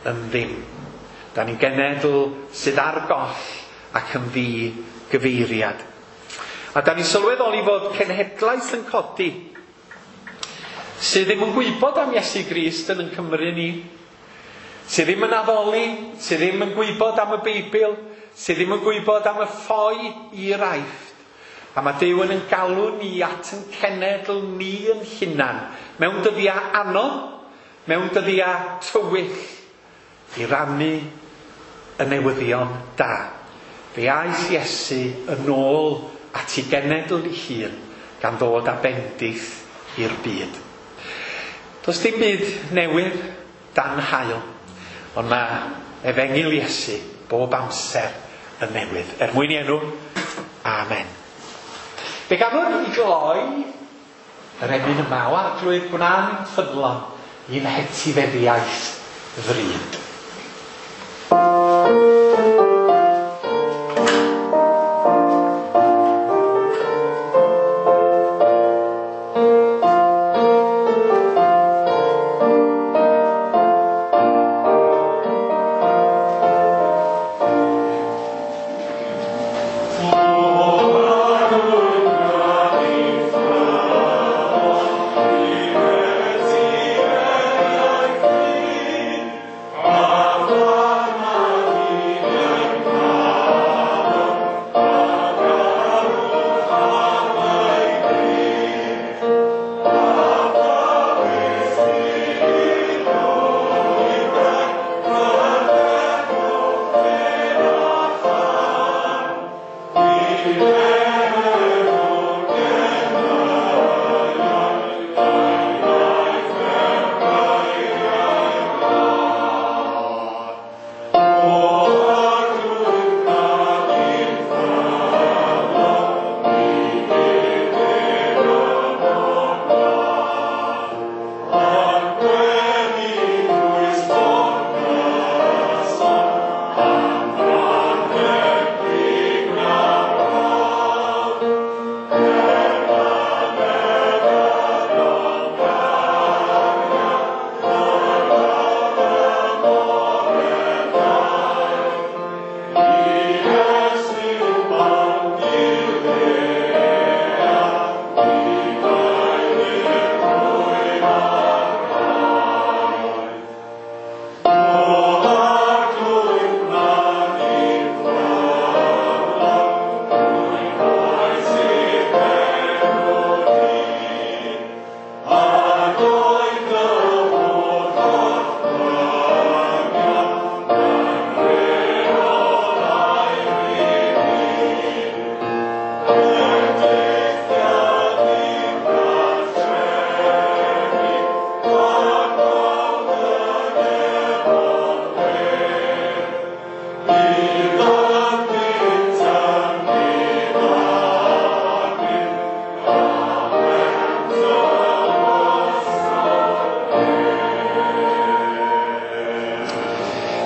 yn ddim. Da ni'n genedl sydd ar goll ac yn ddi-gyfeiriad. A da ni'n sylweddoli fod cenhedlaeth yn codi sydd ddim yn gwybod am Iesu Grist yn Cymru ni, sydd ddim yn addoli, sydd ddim yn gwybod am y Beibl, sydd ddim yn gwybod am y ffoi i'r Aifft. A mae Duw yn galw ni at yn cenedl ni yn hunan, mewn dyddiau anodd, mewn dyddiau tywyll, i rannu y newyddion da. Fe aeth Iesu yn ôl at ei genedl ei hun, gan ddod â bendith i'r byd. Does dim byd newydd dan haul, ond mae efengyl Iesu bob amser yn newydd. Er mwyn i enw, amen. Fe ganwn i gloi yr emyn yma o Arglwydd gwna'n ffyddlon i'n hetifeddiaeth ddrud.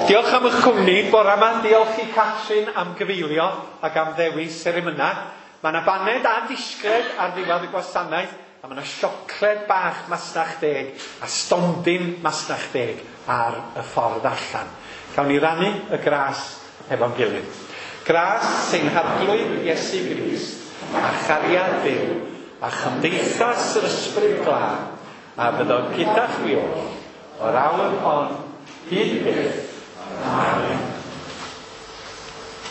Diolch am eich cwmni bore yma, diolch i Catrin am gyfeilio ac am ddewis yr emynau. Mae yna baned a disgled ar ddiwedd y gwasanaeth, a mae yna siocled bach masnach deg a stondin masnach deg ar y ffordd allan. Cawn ni rannu y gras hefo'n gilydd. Gras ein Harglwydd Iesu Grist, a chariad Duw, a chymdeithas yr Ysbryd Glân, a fyddo gyda chwi oll, o'r awr hon hyd byth. Amen.